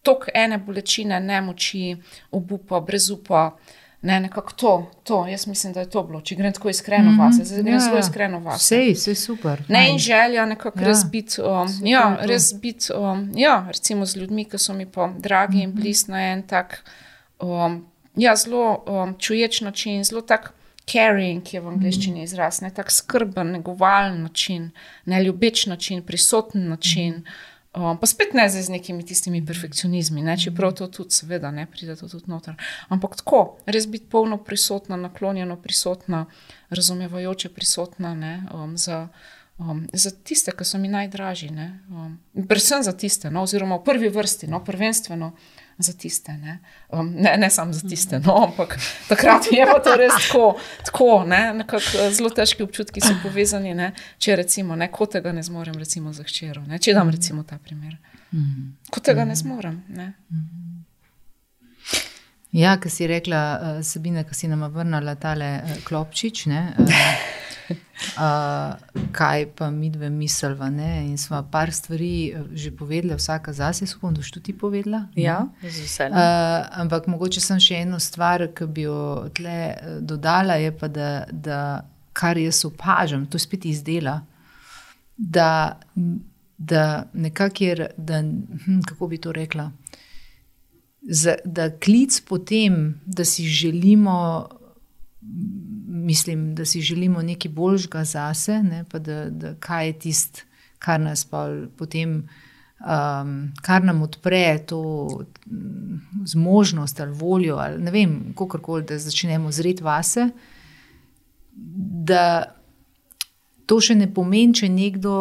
tok ene bolečine, nemoči, obupa, brezupa, ne, nekako to, jaz mislim, da je to bilo, če grem tako iskreno vase, zdaj grem zelo iskreno vase. Vse super. Ne, in želja nekako res biti, recimo z ljudmi, ki so mi pa dragi in blizu na en tak, zelo čuječ način, zelo tak caring je v angleščini izraz, ne, tak skrben, negovalen način, ne, ljubeč način, prisoten način, pa spet ne zdaj z nekimi tistimi perfekcionizmi, ne, čeprav to tudi seveda, ne, pride to tudi noter. Ampak tako, res biti polno prisotna, naklonjeno prisotna, razumevajoče prisotna, ne, za tiste, ki so mi najdražji, ne, predvsem za tiste, no, oziroma v prvi vrsti, no, prvenstveno za tiste, ne samo za tiste, no, ampak takrat mi je pa to res tako, ne, nekako zelo težki občutki so povezani, ne, če recimo, ne, ko tega ne zmorem recimo za hčero, ne, če dam recimo ta primer, ko tega ne zmorem, ne. Ja, ko si rekla, Sabina, ko si nama vrnala tale klopčič, ne, kaj pa midve misliva, ne, in sva par stvari že povedala, vsaka zase, upam, da boš tudi ti povedala. Ja, z veseljem. Ampak mogoče sem še eno stvar, ki bi jo tle dodala, je pa, da kar jaz opažam, to spet izdela, da nekako je, kako bi to rekla, da klic po tem, da si želimo, mislim, da si želimo nekaj boljšega zase, ne, pa da kaj je tist, kar nas pa potem, kar nam odpre to zmožnost ali voljo, ali ne vem, kakorkoli, da začnemo zreti vase, da to še ne pomeni, če nekdo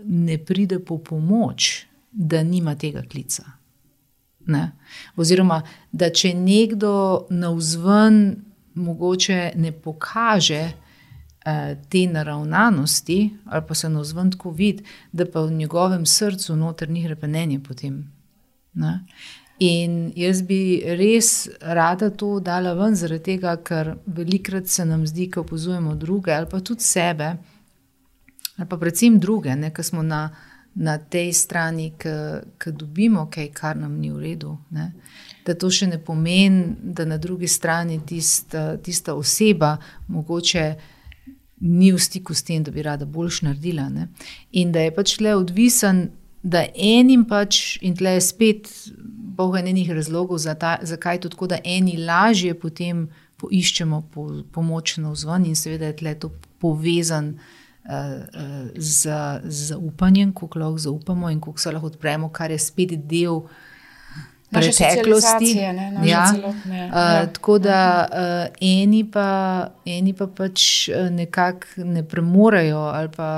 ne pride po pomoč, da nima tega klica. Ne? Oziroma, da če nekdo navzven mogoče ne pokaže te naravnanosti, ali pa se navzven tako vidi, da pa v njegovem srcu noter ni hrepenenje potem. Ne? In jaz bi res rada to dala ven, zaradi tega, ker velikrat se nam zdi, ko opazujemo druge, ali pa tudi sebe, ali pa predvsem druge, ne, ko smo na tej strani, ko dobimo kaj, kar nam ni v redu, ne, da to še ne pomeni, da na drugi strani tista oseba mogoče ni v stiku s tem, da bi rada boljš naredila. Ne. In da je pač tle odvisen, da enim pač, in tle je spet Bog enih razlogov, zakaj to tako, da eni lažje potem poiščemo pomoč navzven in seveda je tle to povezan z upanjem, koliko lahko zaupamo in koliko se lahko odpremo, kar je spet del preteklosti. Tako da eni pa pač nekako ne premorejo ali pa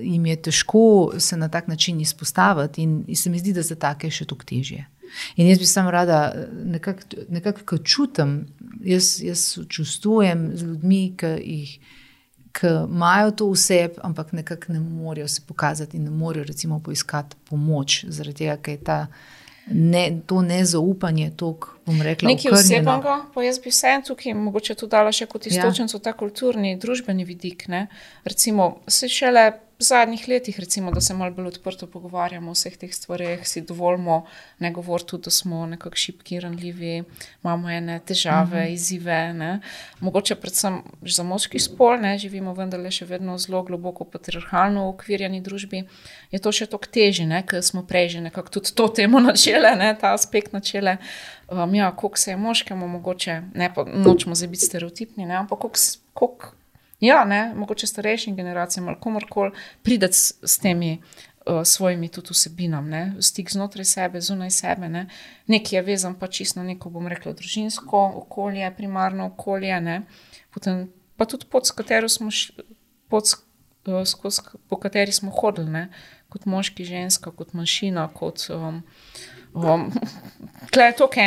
jim je težko se na tak način izpostaviti in se mi zdi, da za take še toliko težje. In jaz bi samo rada nekako ko čutim, jaz čustvujem z ljudmi, ki imajo to v sebi, ampak nekako ne morejo se pokazati in ne morejo recimo poiskati pomoč, zaradi tega, ker je to nezaupanje toliko, bom rekla, nekaj osebnega, pa jaz bi vseeno tukaj mogoče tu dala še kot istočnico ta kulturni, družbeni vidik, ne. Recimo, se šele v zadnjih letih, recimo, da se malo bolj odprto pogovarjamo o vseh teh stvareh, si dovolimo ne govoriti tudi, da smo nekako šibki, ranljivi, imamo ene težave, izzive, ne. Mogoče predvsem za moški spol, ne, živimo vendarle še vedno zelo globoko patriarhalno ukvirjeni družbi, je to še toliko težje, ne, ker smo prej že nekako tudi to temo načele, ne, ta aspekt načele, koliko se je moškemu mogoče, ne, pa nočemo zdaj biti stereotipni, ne, ampak koliko mogoče starejšim generacijam ali komorkoli prideti s temi svojimi tudi vsebinam, ne, stik znotraj sebe, zunaj sebe, ne, nekaj je vezan pa čisto na neko, bom rekla, družinsko okolje, primarno okolje, ne, potem pa tudi po kateri smo hodili, ne, kot moški, ženska, kot manjšina, kot tle je toliko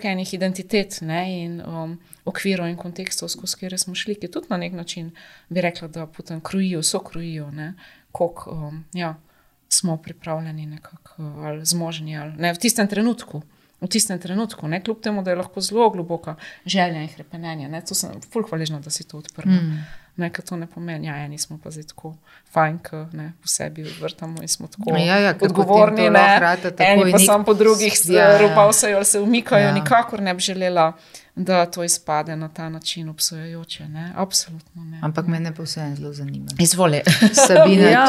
enih identitet, ne, in okvirov in kontekstov, skozi kjer smo šli, ki tudi na nek način bi rekla, da potem sokrojijo, ne, koliko smo pripravljeni nekako, ali zmožni, ali ne, v tistem trenutku, ne, kljub temu, da je lahko zelo globoka želja in hrepenenje, ne, to sem ful hvaležna, da si to odprla. Ne, ker to ne pomeni, eni smo pa zdaj tako fajn, ne, po sebi vrtamo in smo tako odgovorni, ne, eni pa sam po drugih ropavsajo ali se umikajo, nikakor ne bi želela, da to izpade na ta način obsojajoče, ne, absolutno ne. Ampak mene pa vseeno zelo zanima. Izvoli. Sabina,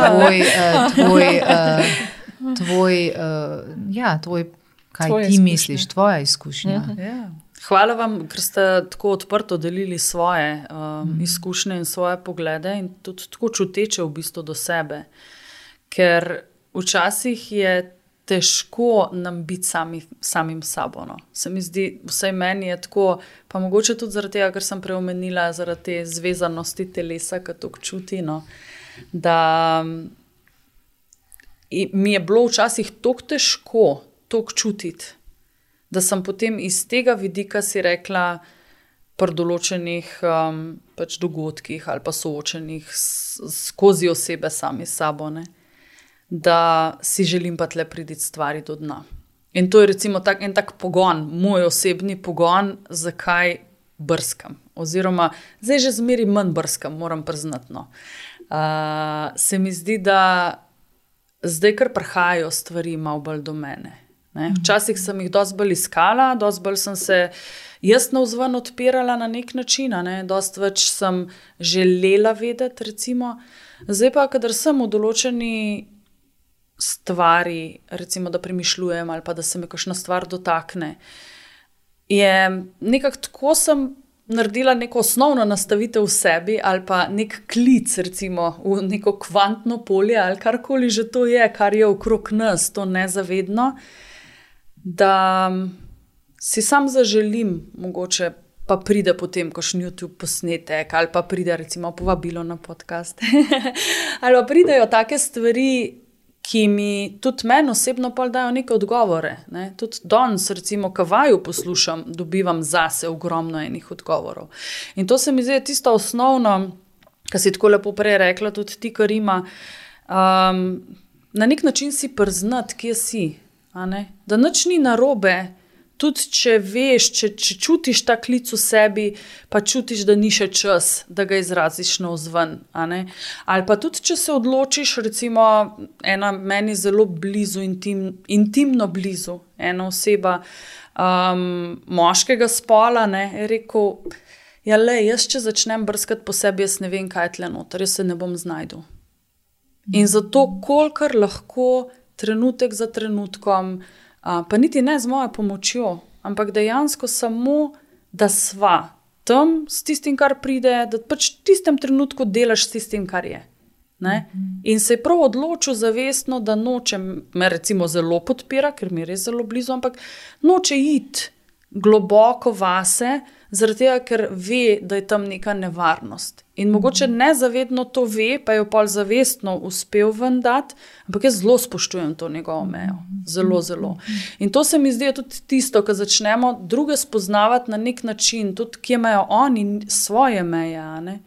tvoj, kaj ti misliš, tvoja izkušnja. Hvala vam, ker ste tako odprto delili svoje izkušnje in svoje poglede in tudi tako čuteče v bistvu do sebe. Ker včasih je težko nam biti samim sabo. No. Se mi zdi, vsaj meni je tako, pa mogoče tudi zaradi tega, ker sem preomenila zaradi te zvezanosti telesa, ki to čuti, no, da mi je bilo včasih toliko težko toliko čutiti, da sem potem iz tega vidika si rekla pri določenih pač dogodkih ali pa soočenih skozi osebe sami s sabo, ne, da si želim pa tle priditi stvari do dna. In to je recimo en tak pogon, moj osebni pogon, zakaj brskam. Oziroma, zdaj že zmeri manj brskam, moram priznati. No. Se mi zdi, da zdaj kar prihajajo stvari malo bolj do mene. Ne? Včasih sem jih dosti bolj iskala, dosti bolj sem se jaz navzven odpirala na nek način, ne? Dosti več sem želela vedeti, recimo. Zdaj pa, kadar sem v določeni stvari, recimo, da premišljujem ali pa da se me kakšna stvar dotakne, je nekako tako sem naredila neko osnovno nastavitev v sebi ali pa nek klic, recimo, v neko kvantno polje ali karkoli že to je, kar je okrog nas, to nezavedno, da si sam zaželim, mogoče pa pride potem kakšen YouTube posnetek ali pa pride recimo povabilo na podcast. Ali pa pridejo take stvari, ki mi tudi meni osebno pol dajo neke odgovore. Ne? Tudi danes, recimo, ko vaju poslušam, dobivam zase ogromno enih odgovorov. In to se mi zdi tisto osnovno, kar si tako lepo prej rekla, tudi ti, Karima, na nek način si priznati, kje si. da nič ni narobe. Tudi če veš, če čutiš ta klic v sebi, pa čutiš, da ni še čas, da ga izraziš navzven. Ali pa tudi, če se odločiš, recimo ena meni zelo blizu, intimno blizu, ena oseba moškega spola, je rekel, jaz če začnem brskati po sebi, jaz ne vem, kaj je tle noter, jaz se ne bom znajdel. In zato, kolikor lahko trenutek za trenutkom, pa niti ne z mojo pomočjo, ampak dejansko samo, da sva tam s tistim, kar pride, da pač v tistem trenutku delaš s tistim, kar je. In se je prav odločil zavestno, da noče, me recimo zelo podpira, ker mi je res zelo blizu, ampak noče iti globoko vase, zaradi tega, ker ve, da je tam neka nevarnost. In mogoče nezavedno to ve, pa je pol zavestno uspel ven dati, ampak jaz zelo spoštujem to njegovo mejo. Zelo, zelo. In to se mi zdi tudi tisto, ko začnemo druge spoznavati na nek način, tudi kje imajo oni svoje meje.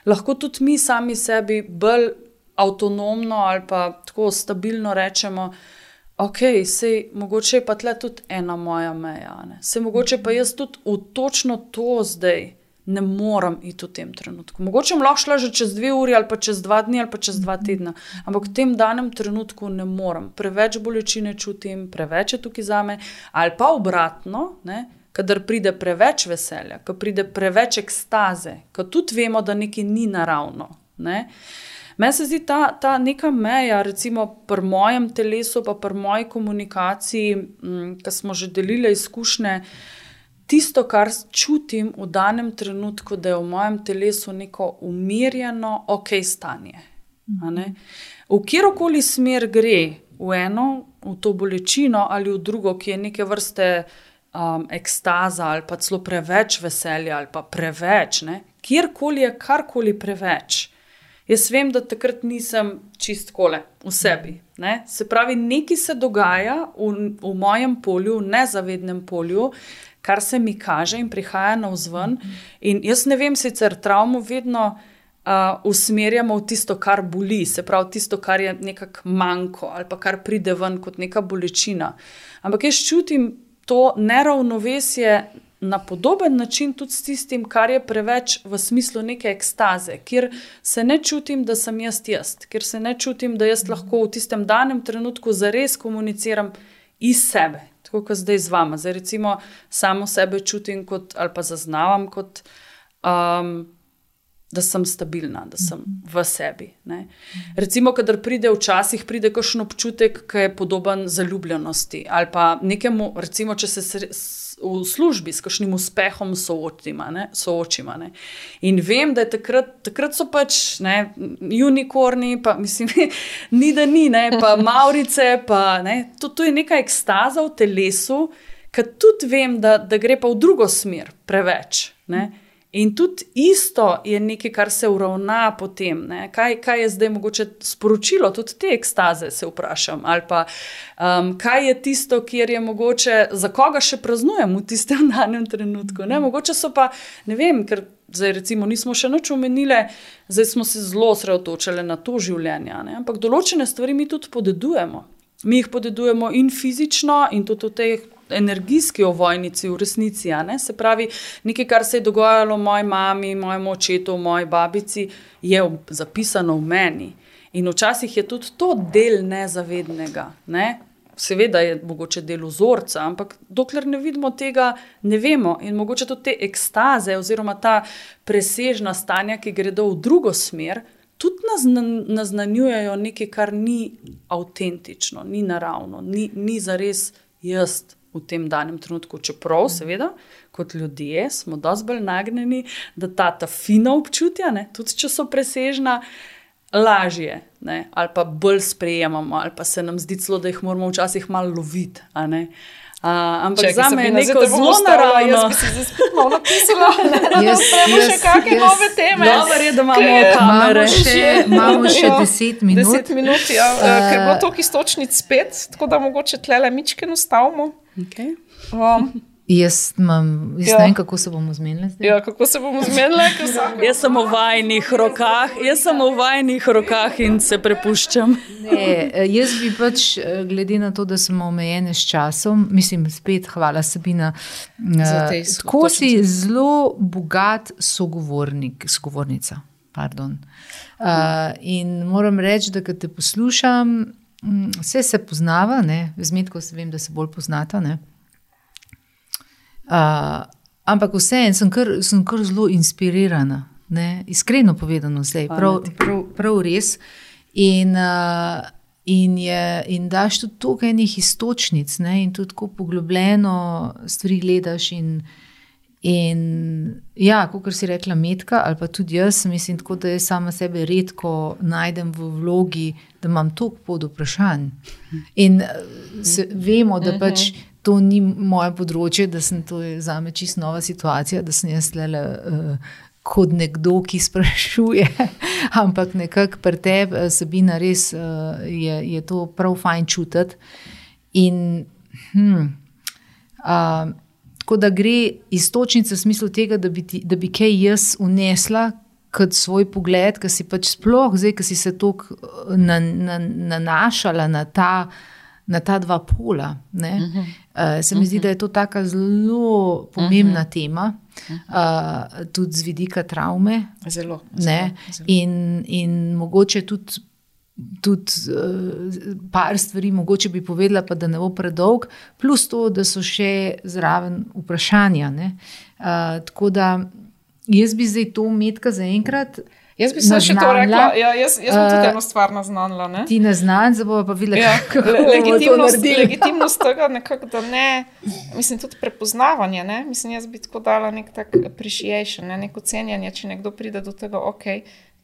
Lahko tudi mi sami sebi bolj avtonomno ali pa tako stabilno rečemo, sej mogoče je pa tle tudi ena moja meja. Sej mogoče pa jaz tudi v točno to zdaj ne morem iti v tem trenutku. Mogoče bom lahko šla že čez 2 uri ali pa čez 2 dni ali pa čez 2 tedna, ampak v tem danem trenutku ne morem. Preveč bolečine čutim, preveč je tukaj zame, ali pa obratno, kadar pride preveč veselja, kadar pride preveč ekstaze, kadar tudi vemo, da nekaj ni naravno. Meni se zdi ta neka meja, recimo pri mojem telesu, pa pri moji komunikaciji, ko smo že delili izkušnje, tisto, kar čutim v danem trenutku, da je v mojem telesu neko umirjeno, stanje. V kjerokoli smer gre, v eno, v to bolečino ali v drugo, ki je neke vrste ekstaza ali pa celo preveč veselja ali pa preveč, kjerkoli je karkoli preveč. Jaz vem, da takrat nisem čist kole v sebi. Se pravi, nekaj se dogaja v mojem polju, v nezavednem polju, kar se mi kaže in prihaja navzven. In jaz ne vem, sicer travmo vedno usmerjamo v tisto, kar boli, se pravi tisto, kar je nekak manjko ali pa kar pride ven kot neka bolečina. Ampak jaz čutim to neravnovesje na podoben način tudi s tistim, kar je preveč v smislu neke ekstaze, kjer se ne čutim, da sem jaz, kjer se ne čutim, da jaz lahko v tistem danem trenutku zares komuniciram iz sebe, tako kot zdaj z vama. Zdaj recimo samo sebe čutim kot, ali pa zaznavam kot, da sem stabilna, da sem v sebi. Recimo, kadar včasih pride kakšen občutek, ki je podoben zaljubljenosti, ali pa nekemu, recimo, če se v službi s kakšnim uspehom soočima. In vem, da je takrat so pač unikorni, pa mislim, ni da ni, pa maurice, pa to je neka ekstaza v telesu, ki tudi vem, da gre pa v drugo smer preveč. In tudi isto je nekaj, kar se uravna potem. Kaj je zdaj mogoče sporočilo, tudi te ekstaze se vprašam. Ali pa kaj je tisto, kjer je mogoče, za koga še praznujem v tistem danem trenutku. Mogoče so pa, ne vem, ker zdaj recimo nismo še nič omenile, zdaj smo se zelo osredotočili na to življenje. Ampak določene stvari mi tudi podedujemo. Mi jih podedujemo in fizično in tudi v tej energijski ovojnici v resnici. Se pravi, nekaj, kar se je dogajalo moji mami, mojemu očetu, moji babici, je zapisano v meni. In včasih je tudi to del nezavednega. Seveda je mogoče del vzorca, ampak dokler ne vidimo tega, ne vemo. In mogoče tudi te ekstaze oziroma ta presežna stanja, ki gredo v drugo smer, tudi naznanjujejo nekaj, kar ni avtentično, ni naravno, ni zares jaz v tem danem trenutku. Čeprav, seveda, kot ljudje smo dosti bolj nagnjeni, da ta fina občutja, tudi če so presežna, lažje, ali pa bolj sprejemamo, ali pa se nam zdi celo, da jih moramo včasih malo loviti. Ampak zame je neko zelo naravno. Jaz bi si zdaj spet malo napisala, da spremo še kakšne nove teme. Dobar je, da imamo kamere. Imamo še 10 minut. 10 minut, ja. Ker je bilo toliko istočnic spet, tako da mogoče tlele mičke nastavimo. Okay. Jaz ne vem, kako se bomo zmenili zdaj. Ja, kako se bomo zmenili? Jaz sem v vajnih rokah in se prepuščam. Ne, jaz bi pač, glede na to, da smo omejene s časom, mislim, spet hvala Sabina, tako si zelo bogat sogovornica. Pardon. In moram reči, da kad te poslušam, vse se poznava, ne, z Metko se vem, da se bolj poznata, ne. Ampak vseeno sem kar zelo inspirirana, ne? Iskreno povedano zdaj, prav res. In daš tudi toliko enih iztočnic, ne? In tudi tako poglobljeno stvari gledaš in ja, kakor si rekla Metka, ali pa tudi jaz, mislim tako, da jaz sama sebe redko najdem v vlogi, da imam toliko pod vprašanj. In vemo, da pač to ni moje področje, da sem to zame čisto nova situacija, da sem jaz tlele kot nekdo, ki sprašuje, ampak nekako pri tebi, Sabina, res je to prav fajn čutiti. In tako da gre iztočnica v smislu tega, da bi kaj jaz unesla kot svoj pogled, ki si pač sploh zdaj, ki si se toliko nanašala na ta dva pola. Ne? Se mi zdi, da je to taka zelo pomembna tema, tudi z vidika travme. Zelo. In mogoče tudi par stvari, mogoče bi povedala, pa da ne bo predolg, plus to, da so še zraven vprašanja. Ne? Tako da jaz bi zdaj to Metka zaenkrat Jaz bi se še to rekla, jaz bom tudi eno stvar naznanila. Ne? Ti naznanj, zdaj bova pa videla, ja, kako bomo to naredili. Legitimnost tega nekako, da ne, mislim tudi prepoznavanje, ne? Mislim, jaz bi tako dala nek tak appreciation, ne? Neko cenjanje, če nekdo pride do tega,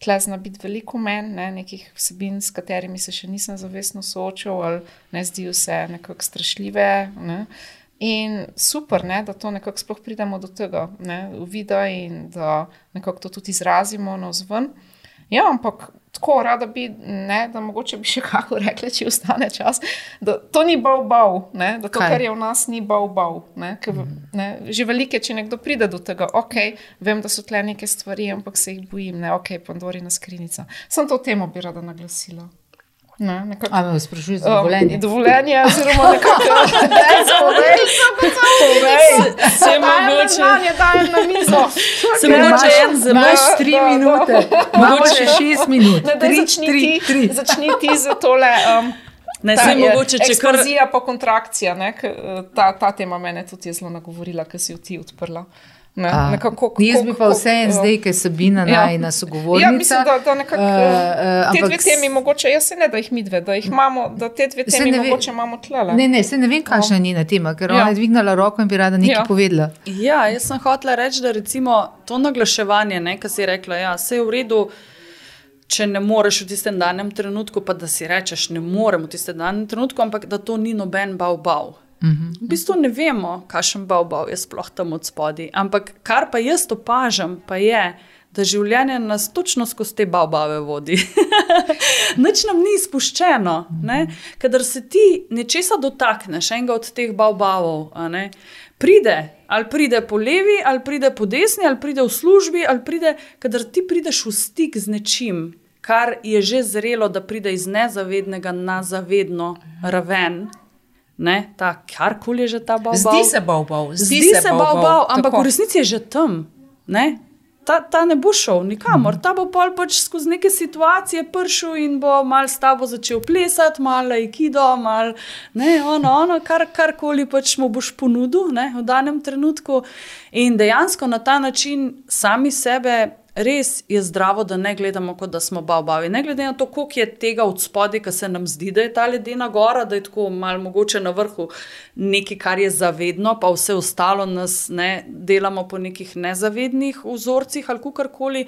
tle zna biti veliko men, ne? Nekih vsebin, s katerimi se še nisem zavestno soočil, ali ne zdijo se nekako strašljive, ne? In super, ne, da to nekako sploh pridemo do tega, ne, uvida in da nekako to tudi izrazimo navzven. Ja, ampak tako rada bi, ne, da mogoče bi še kako rekli, če ostane čas, da to ni bav, ne, da to, kar je v nas, ni bav, ne, ne, že velike, če nekdo pride do tega, vem, da so tle neke stvari, ampak se jih bojim, ne, Pandorina skrinjica. Sem to temo bi rada naglasila. Ali me sprašuješ za dovoljenje? Dovoljenje, oziroma nekako se mogoče dajem na mizo. Se mogoče imaš 3 minute, mogoče 6 minut. Začni ti za tole eksplozija po kontrakcija. Ta tema mene tudi je zelo nagovorila, ker si jo ti odprla. Jaz bi pa vseeno zdaj, ker je Sabina najina sogovornica. Ja, mislim, da nekako te dve temi mogoče, jaz se ne, da jih midve, da jih imamo, da te dve temi mogoče imamo tlele. Ne, se ne vem, kakšna je njena tema, ker ona je dvignala roko in bi rada nekaj povedala. Ja, jaz sem hotela reči, da recimo to naglaševanje, kar si rekla, saj je v redu, če ne moreš v tistem danem trenutku, pa da si rečeš, ne morem v tistem danem trenutku, ampak da to ni noben bav. V bistvu ne vemo, kakšen bav je sploh tam od spodaj, ampak kar pa jaz opažam, pa je, da življenje nas točno skozi te bavbave vodi. Nič nam ni izpuščeno, ne? Kadar se ti nečesa dotakneš, enega od teh bavbavov, ali pride po levi, ali pride po desni, ali pride v službi, ali pride, kadar ti prideš v stik z nečim, kar je že zrelo, da pride iz nezavednega na zavedno raven, ne, karkoli je že ta bavbav. Zdi se bavbav, ampak v resnici je že tam, ne. Ta ne bo šel nikamor, ta bo pol pač skozi neke situacije prišel in bo malo s tabo začel plesati, malo aikido, malo, ne, karkoli pač mu boš ponudil, ne, v danem trenutku. In dejansko na ta način sami sebe res je zdravo, da ne gledamo, kot da smo bavbavi. Ne glede na to, koliko je tega od spodaj, ki se nam zdi, da je ta ledena gora, da je tako malo mogoče na vrhu nekaj, kar je zavedno, pa vse ostalo nas ne delamo po nekih nezavednih vzorcih ali kakorkoli.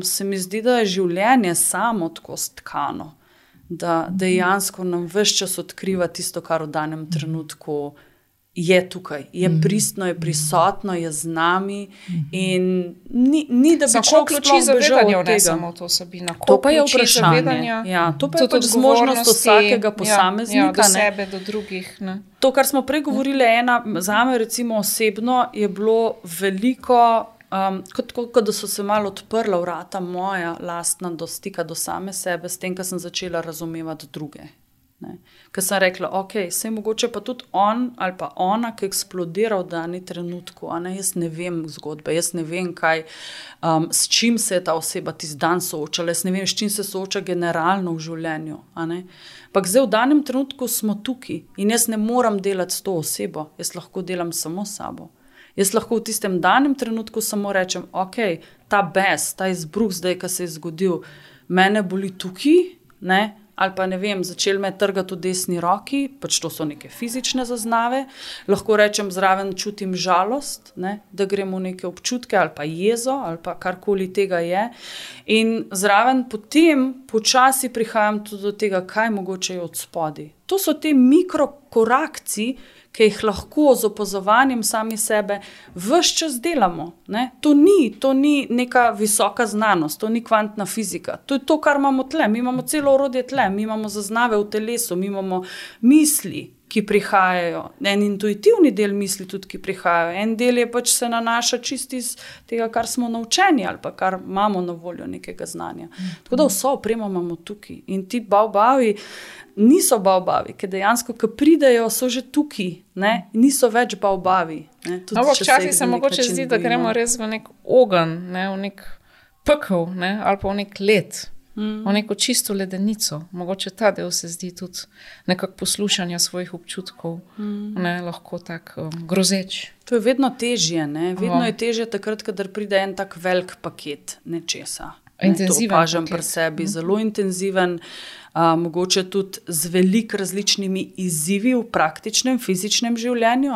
Se mi zdi, da je življenje samo tako stkano, da dejansko nam ves čas odkriva tisto, kar v danem trenutku je tukaj, je pristno, je prisotno, je z nami in ni da bi človek ključi zavedanja vnesemo v to Sabina. To pa je vprašanje. Ja, to pa je pač zmožnost vsakega posameznika. Do sebe, do drugih. Ne. To, kar smo prej govorili, zame recimo osebno je bilo veliko, kot da so se malo odprla vrata moja lastna do stika do same sebe, s tem, ko sem začela razumevati druge. Ker sem rekla, ok, sej mogoče pa tudi on ali pa ona, ki eksplodira v dani trenutku, jaz ne vem zgodbe, jaz ne vem kaj, s čim se je ta oseba tisti dan soočala, jaz ne vem, s čim se sooča generalno v življenju. Ampak zdaj v danem trenutku smo tukaj in jaz ne moram delati s to osebo, jaz lahko delam samo s sabo. Jaz lahko v tistem danem trenutku samo rečem, ok, ta bes, ta izbruh zdaj, ki se je zgodil, mene boli tukaj, ali pa ne vem, začel me trgati v desni roki, pač to so neke fizične zaznave, lahko rečem zraven čutim žalost, da gremo v neke občutke ali pa jezo ali pa karkoli tega je in zraven potem počasi prihajam tudi do tega, kaj mogoče je od spodaj. To so te mikrokorakci, ki jih lahko z opazovanjem sami sebe ves čas delamo. To ni neka visoka znanost, to ni kvantna fizika. To je to, kar imamo tle. Mi imamo celo orodje tle, mi imamo zaznave v telesu, mi imamo misli, ki prihajajo. En intuitivni del misli tudi, ki prihajajo. En del je pač se nanaša čisto iz tega, kar smo naučeni ali pa kar imamo na voljo nekega znanja. Tako da vso opremo imamo tukaj. In ti baobavi niso baobavi, ker dejansko, ko pridejo, so že tukaj, niso več baobavi. Včasih se mogoče zdi, da gremo res v nek ogenj, v nek pekel, ali pa v nek led, v neko čisto ledenico. Mogoče ta del se zdi tudi nekako poslušanja svojih občutkov, lahko tak grozeč. To je vedno težje, vedno je težje takrat, kadar pride en tak velik paket nečesa. Intenziven to opažam pri sebi, zelo intenziven, mogoče tudi z veliko različnimi izzivi v praktičnem, fizičnem življenju,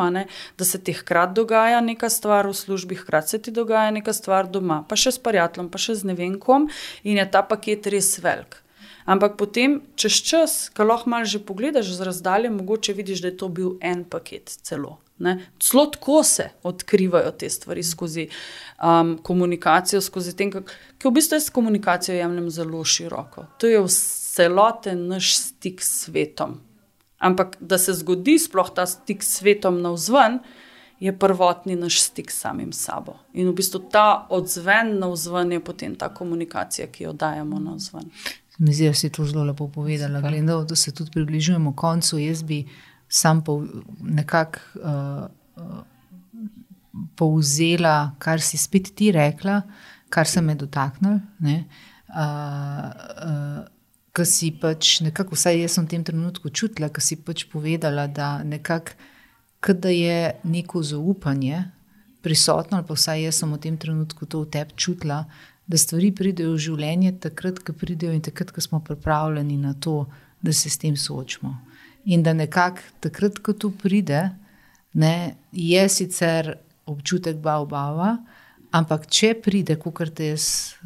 da se ti hkrati dogaja neka stvar v službi, hkrati se ti dogaja neka stvar doma, pa še s prijateljem, pa še z ne vem kom in je ta paket res velik. Ampak potem, čez čas, ko lahko malo že pogledaš z razdalje, mogoče vidiš, da je to bil en paket celo. Celo tako se odkrivajo te stvari skozi komunikacijo, skozi tem, ki v bistvu jaz komunikacijo jemljem zelo široko. To je celoten naš stik s svetom. Ampak, da se zgodi sploh ta stik s svetom navzven, je prvotni naš stik s samim sabo. In v bistvu ta odzven navzven je potem ta komunikacija, ki jo dajemo navzven. Zdi se, to zelo lepo povedala. Glede, da se tudi približujemo koncu, jaz bi sam nekako povzela, kar si spet ti rekla, kar se me dotaknil, ko si pač nekako, vsaj jaz sem v tem trenutku čutila, ko si pač povedala, da nekako, kada je neko zaupanje prisotno, ali pa vsaj jaz sem v tem trenutku to v tebi čutila, da stvari pridejo v življenje takrat, ko pridejo in takrat, ko smo pripravljeni na to, da se s tem soočimo. In da nekako takrat, ko to pride, je sicer občutek baobaba, ampak če pride, kakor te jaz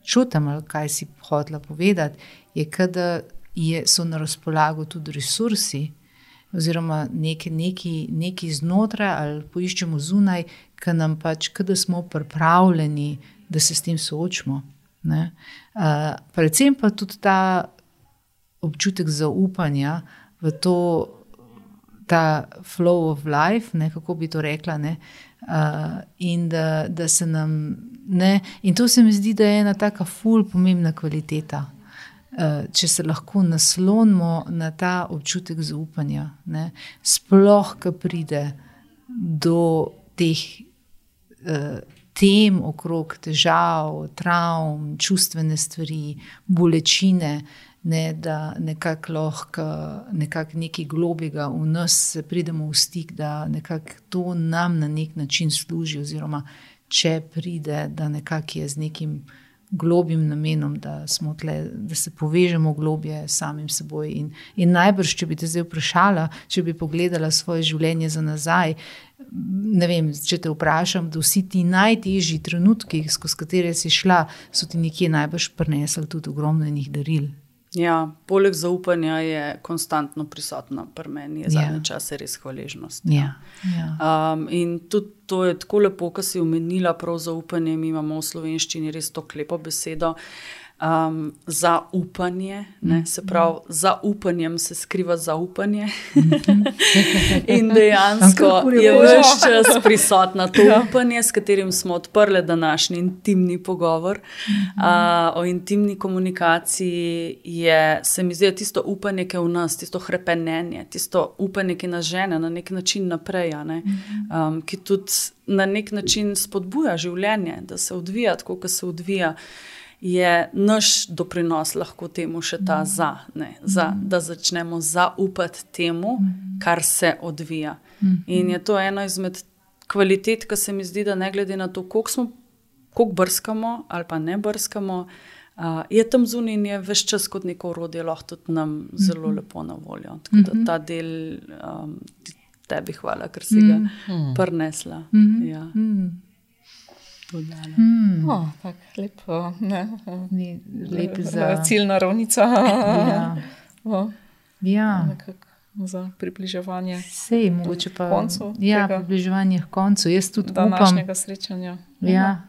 čutim, ali kaj si hotela povedati, je, kada so na razpolago tudi resursi, oziroma neki znotraj ali poiščemo zunaj, ki nam pač, kada smo pripravljeni, da se s tem soočimo. Predvsem pa tudi ta občutek zaupanja v to, ta flow of life, kako bi to rekla, in da se nam, in to se mi zdi, da je ena taka ful pomembna kvaliteta, če se lahko naslonimo na ta občutek zaupanja, sploh, ko pride do teh tem okrog težav, travm, čustvene stvari, bolečine, da nekako lahko nekaj globjega v nas se pridemo v stik, da nekako to nam na nek način služi, oziroma če pride, da nekako je z nekim globjim namenom, da smo tle, da se povežemo globje samim seboj. In najbrž, če bi te zdaj vprašala, če bi pogledala svoje življenje za nazaj, ne vem, če te vprašam, da vsi ti najtežji trenutki, skozi katere si šla, so ti nekje najbrž prinesli tudi ogromno enih daril. Ja, poleg zaupanja je konstantno prisotna pri meni, je zadnje čase res hvaležnost. Ja. In tudi to je tako lepo, ko si omenila prav zaupanje, mi imamo v slovenščini res to lepo besedo, zaupanje, ne? Se pravi, za upanjem se skriva zaupanje in dejansko je ves čas prisotna to upanje, s katerim smo odprli današnji intimni pogovor. O intimni komunikaciji je, se mi zdi, tisto upanje, ki je v nas, tisto hrepenenje, tisto upanje, ki nas žene na nek način naprej, ne? Ki tudi na nek način spodbuja življenje, da se odvija tako, kot se odvija, je naš doprinos lahko temu še ta da začnemo zaupati temu, kar se odvija. In je to eno izmed kvalitet, ki se mi zdi, da ne glede na to, koliko brskamo ali pa ne brskamo, je tam zunaj in je ves čas kot neko orodje lahko tudi nam zelo lepo na voljo. Tako da ta del, tebi hvala, ker si ga prinesla. Ja. Tako lepo, ne? Lep za ciljna ravnica. Nekako za približevanje Sej, mogoče pa koncu. Približevanje k koncu. Jaz tudi današnjega srečanja. Ja.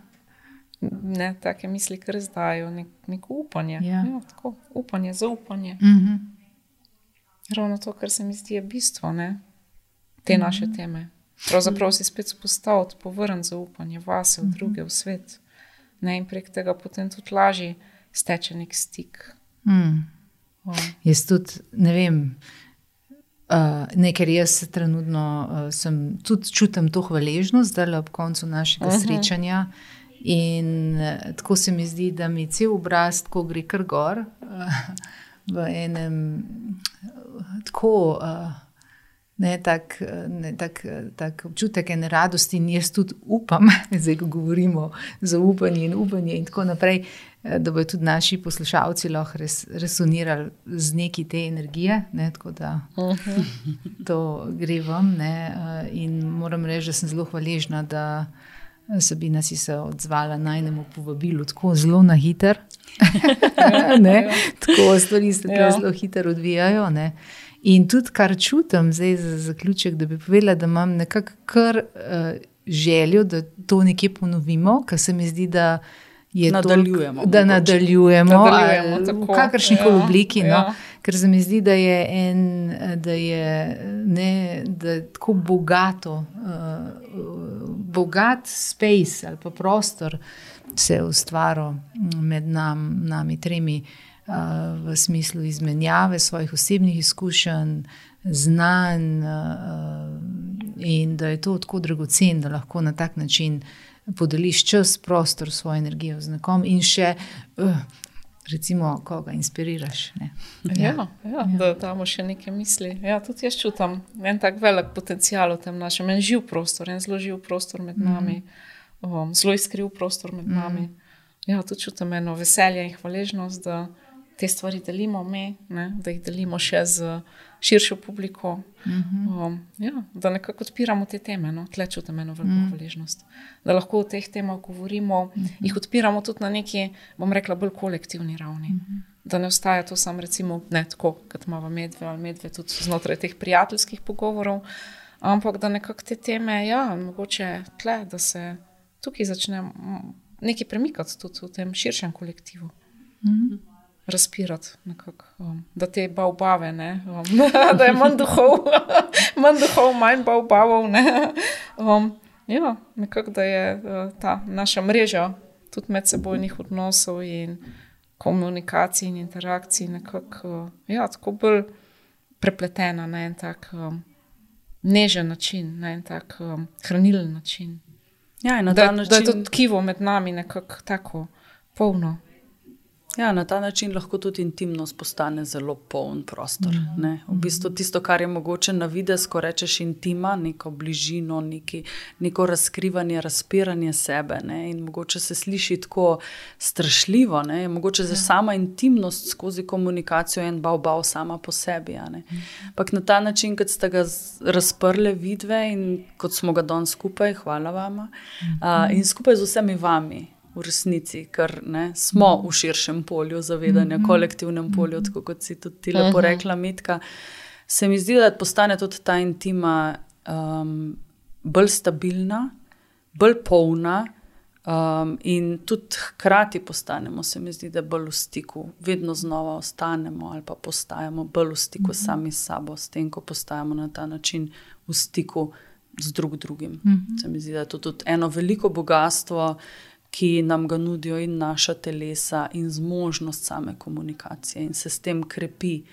Ne, take misli, ker zdajo neko upanje. Tako, upanje, zaupanje. Ravno to, kar se mi zdi je bistvo, ne? Te naše teme. Pravzaprav si spet spostaviti, povrniti zaupanje vase, v druge, v svet. Ne, in prek tega potem tudi lažje steče nek stik. Jaz tudi, ne vem, ker jaz trenutno tudi čutim to hvaležnost, zdaj ob koncu našega srečanja, in tako se mi zdi, da mi cel obraz tako gre kar gor, v enem tako tak občutek ene radosti, in jaz tudi upam, zdaj ko govorimo zaupanje in upanje in tako naprej, da bodo tudi naši poslušalci lahko resonirali z neki te energije, ne, tako da to gre vam, ne, in moram reči, da sem zelo hvaležna, da Sabina si se odzvala najnemu povabilu tako zelo na hiter, ne, tako stvari se zelo hitro odvijajo, ne. In tudi, kar čutim zdaj za zaključek, da bi povedala, da imam nekako kar željo, da to nekje ponovimo, ker se mi zdi, da je nadaljujemo, da nadaljujemo v kakršnikoli obliki, no, ker se mi zdi, da je da je tako bogat space ali pa prostor se je ustvaril med nami tremi, v smislu izmenjave svojih osebnih izkušenj, znanj, in da je to tako dragocen, da lahko na tak način podeliš čas, prostor, svojo energijo z nekom in še recimo koga inspiriraš. Ne? Da damo še neke misli. Ja, tudi jaz čutam en tak velik potencial v tem našem, en živ prostor, en zelo živ prostor med nami, zelo iskriv prostor med nami. Ja, tudi čutam eno veselje in hvaležnost, da te stvari delimo mi, ne? Da jih delimo še z širšo publiko. Da nekako odpiramo te teme, no? Tle čutam eno veliko hvaležnost. Da lahko o teh temah govorimo, jih odpiramo tudi na neki, bom rekla, bolj kolektivni ravni. Da ne ostaja to samo recimo, ne tako, kot imava medve tudi znotraj teh prijateljskih pogovorov, ampak da nekako te teme, mogoče tle, da se tukaj začne nekaj premikati tudi v tem širšem kolektivu. Razpirati nekako, da te baobave, ne, da je manj duhov, manj baobavov, ne. Nekako, da je ta naša mreža tudi medsebojnih odnosov in komunikacij in interakcij nekako, tako bolj prepletena na en tak nežen način, na en tak hranilen način. Ja, in na ta način... Da je to tkivo med nami nekako tako polno. Ja, na ta način lahko tudi intimnost postane zelo poln prostor. Ne? V bistvu tisto, kar je mogoče na videz, ko rečeš intima, neko bližino, neko razkrivanje, razpiranje sebe, ne? In mogoče se sliši tako strašljivo, ne? Mogoče za sama intimnost skozi komunikacijo en bav sama po sebi. Ampak na ta način, kot ste ga razprle vidve in kot smo ga danes skupaj, hvala vama, in skupaj z vsemi vami, v resnici, ker smo v širšem polju zavedanja, kolektivnem polju, tako kot si tudi ti lepo rekla, Mitka. Se mi zdi, da postane tudi ta intima bolj stabilna, bolj polna, in tudi hkrati postanemo, se mi zdi, da bolj v stiku, vedno znova ostanemo ali pa postajamo bolj v stiku sami s sabo, s tem, ko postajamo na ta način v stiku z drugim. Se mi zdi, da je to tudi eno veliko bogatstvo, ki nam ga nudijo in naša telesa in zmožnost same komunikacije in se s tem krepi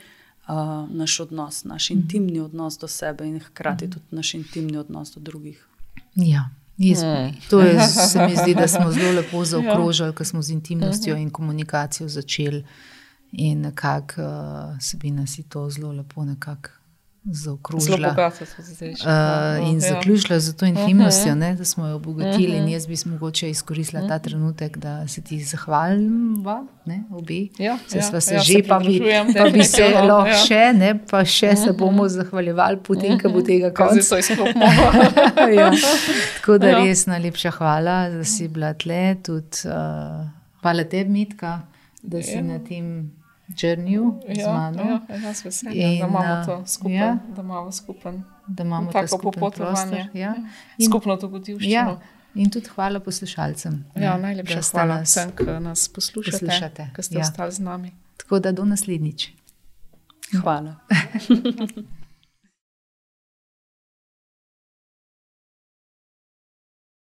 naš odnos, naš intimni odnos do sebe in hkrati tudi naš intimni odnos do drugih. Ja. To se mi zdi, da smo zelo lepo zaokrožili, ko smo z intimnostjo in komunikacijo začeli in nekako Sabina si to zelo lepo nekako zaokrožila. Zelo bogato to zdaj. In zaključila z to intimnostjo, da smo jo obogatili in jaz bi mogoče izkoristila ta trenutek, da se ti zahvalim, obi. Se sva se že, pa bi se lahko še, pa še se bomo zahvaljevali potem, ko bo tega konc. Zdaj so izklopno. Tako da res najlepša hvala, da si bila tle, tudi hvala tebi, Mitka, da si na tem journeyju z mano. Jaz veselim, da imamo to skupaj, da imamo skupen. Da imamo tako popotovanje. Skupno dogodivščino. In tudi hvala poslušalcem. Najlepša hvala vsem, ki nas poslušate, ki ste ostali z nami. Tako da do naslednjič. Hvala.